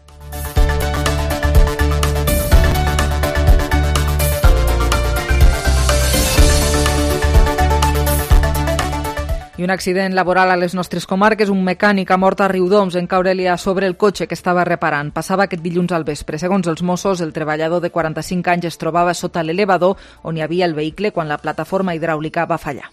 I un accident laboral a les nostres comarques. Un mecànic ha mort a Riudoms en caure-li a sobre el cotxe que estava reparant. Passava aquest dilluns al vespre. Segons els Mossos, el treballador de quaranta-cinc anys es trobava sota l'elevador on hi havia el vehicle quan la plataforma hidràulica va fallar.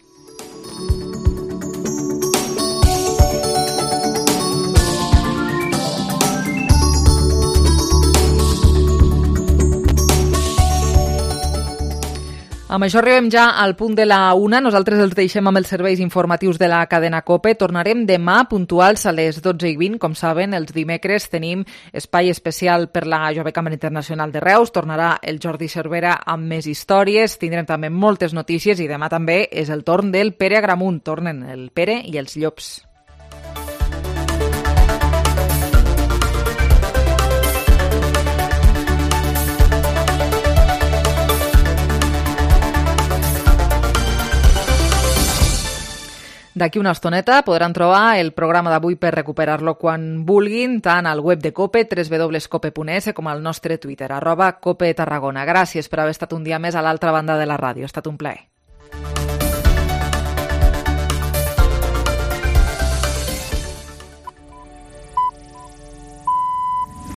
Amb això arribem ja al punt de la una. Nosaltres els deixem amb els serveis informatius de la cadena COPE. Tornarem demà puntuals a les dotze i vint. Com saben, els dimecres tenim espai especial per la Jove Cambra Internacional de Reus. Tornarà el Jordi Cervera amb més històries. Tindrem també moltes notícies i demà també és el torn del Pere Agramunt. Tornen el Pere i els llops. D'aquí una estoneta podran trobar el programa d'avui per recuperar-lo quan vulguin, tant al web de COPE, w w w punt cope punt es, com al nostre Twitter, arroba COPE Tarragona. Gràcies per haver estat un dia més a l'altra banda de la ràdio. Ha estat un plaer.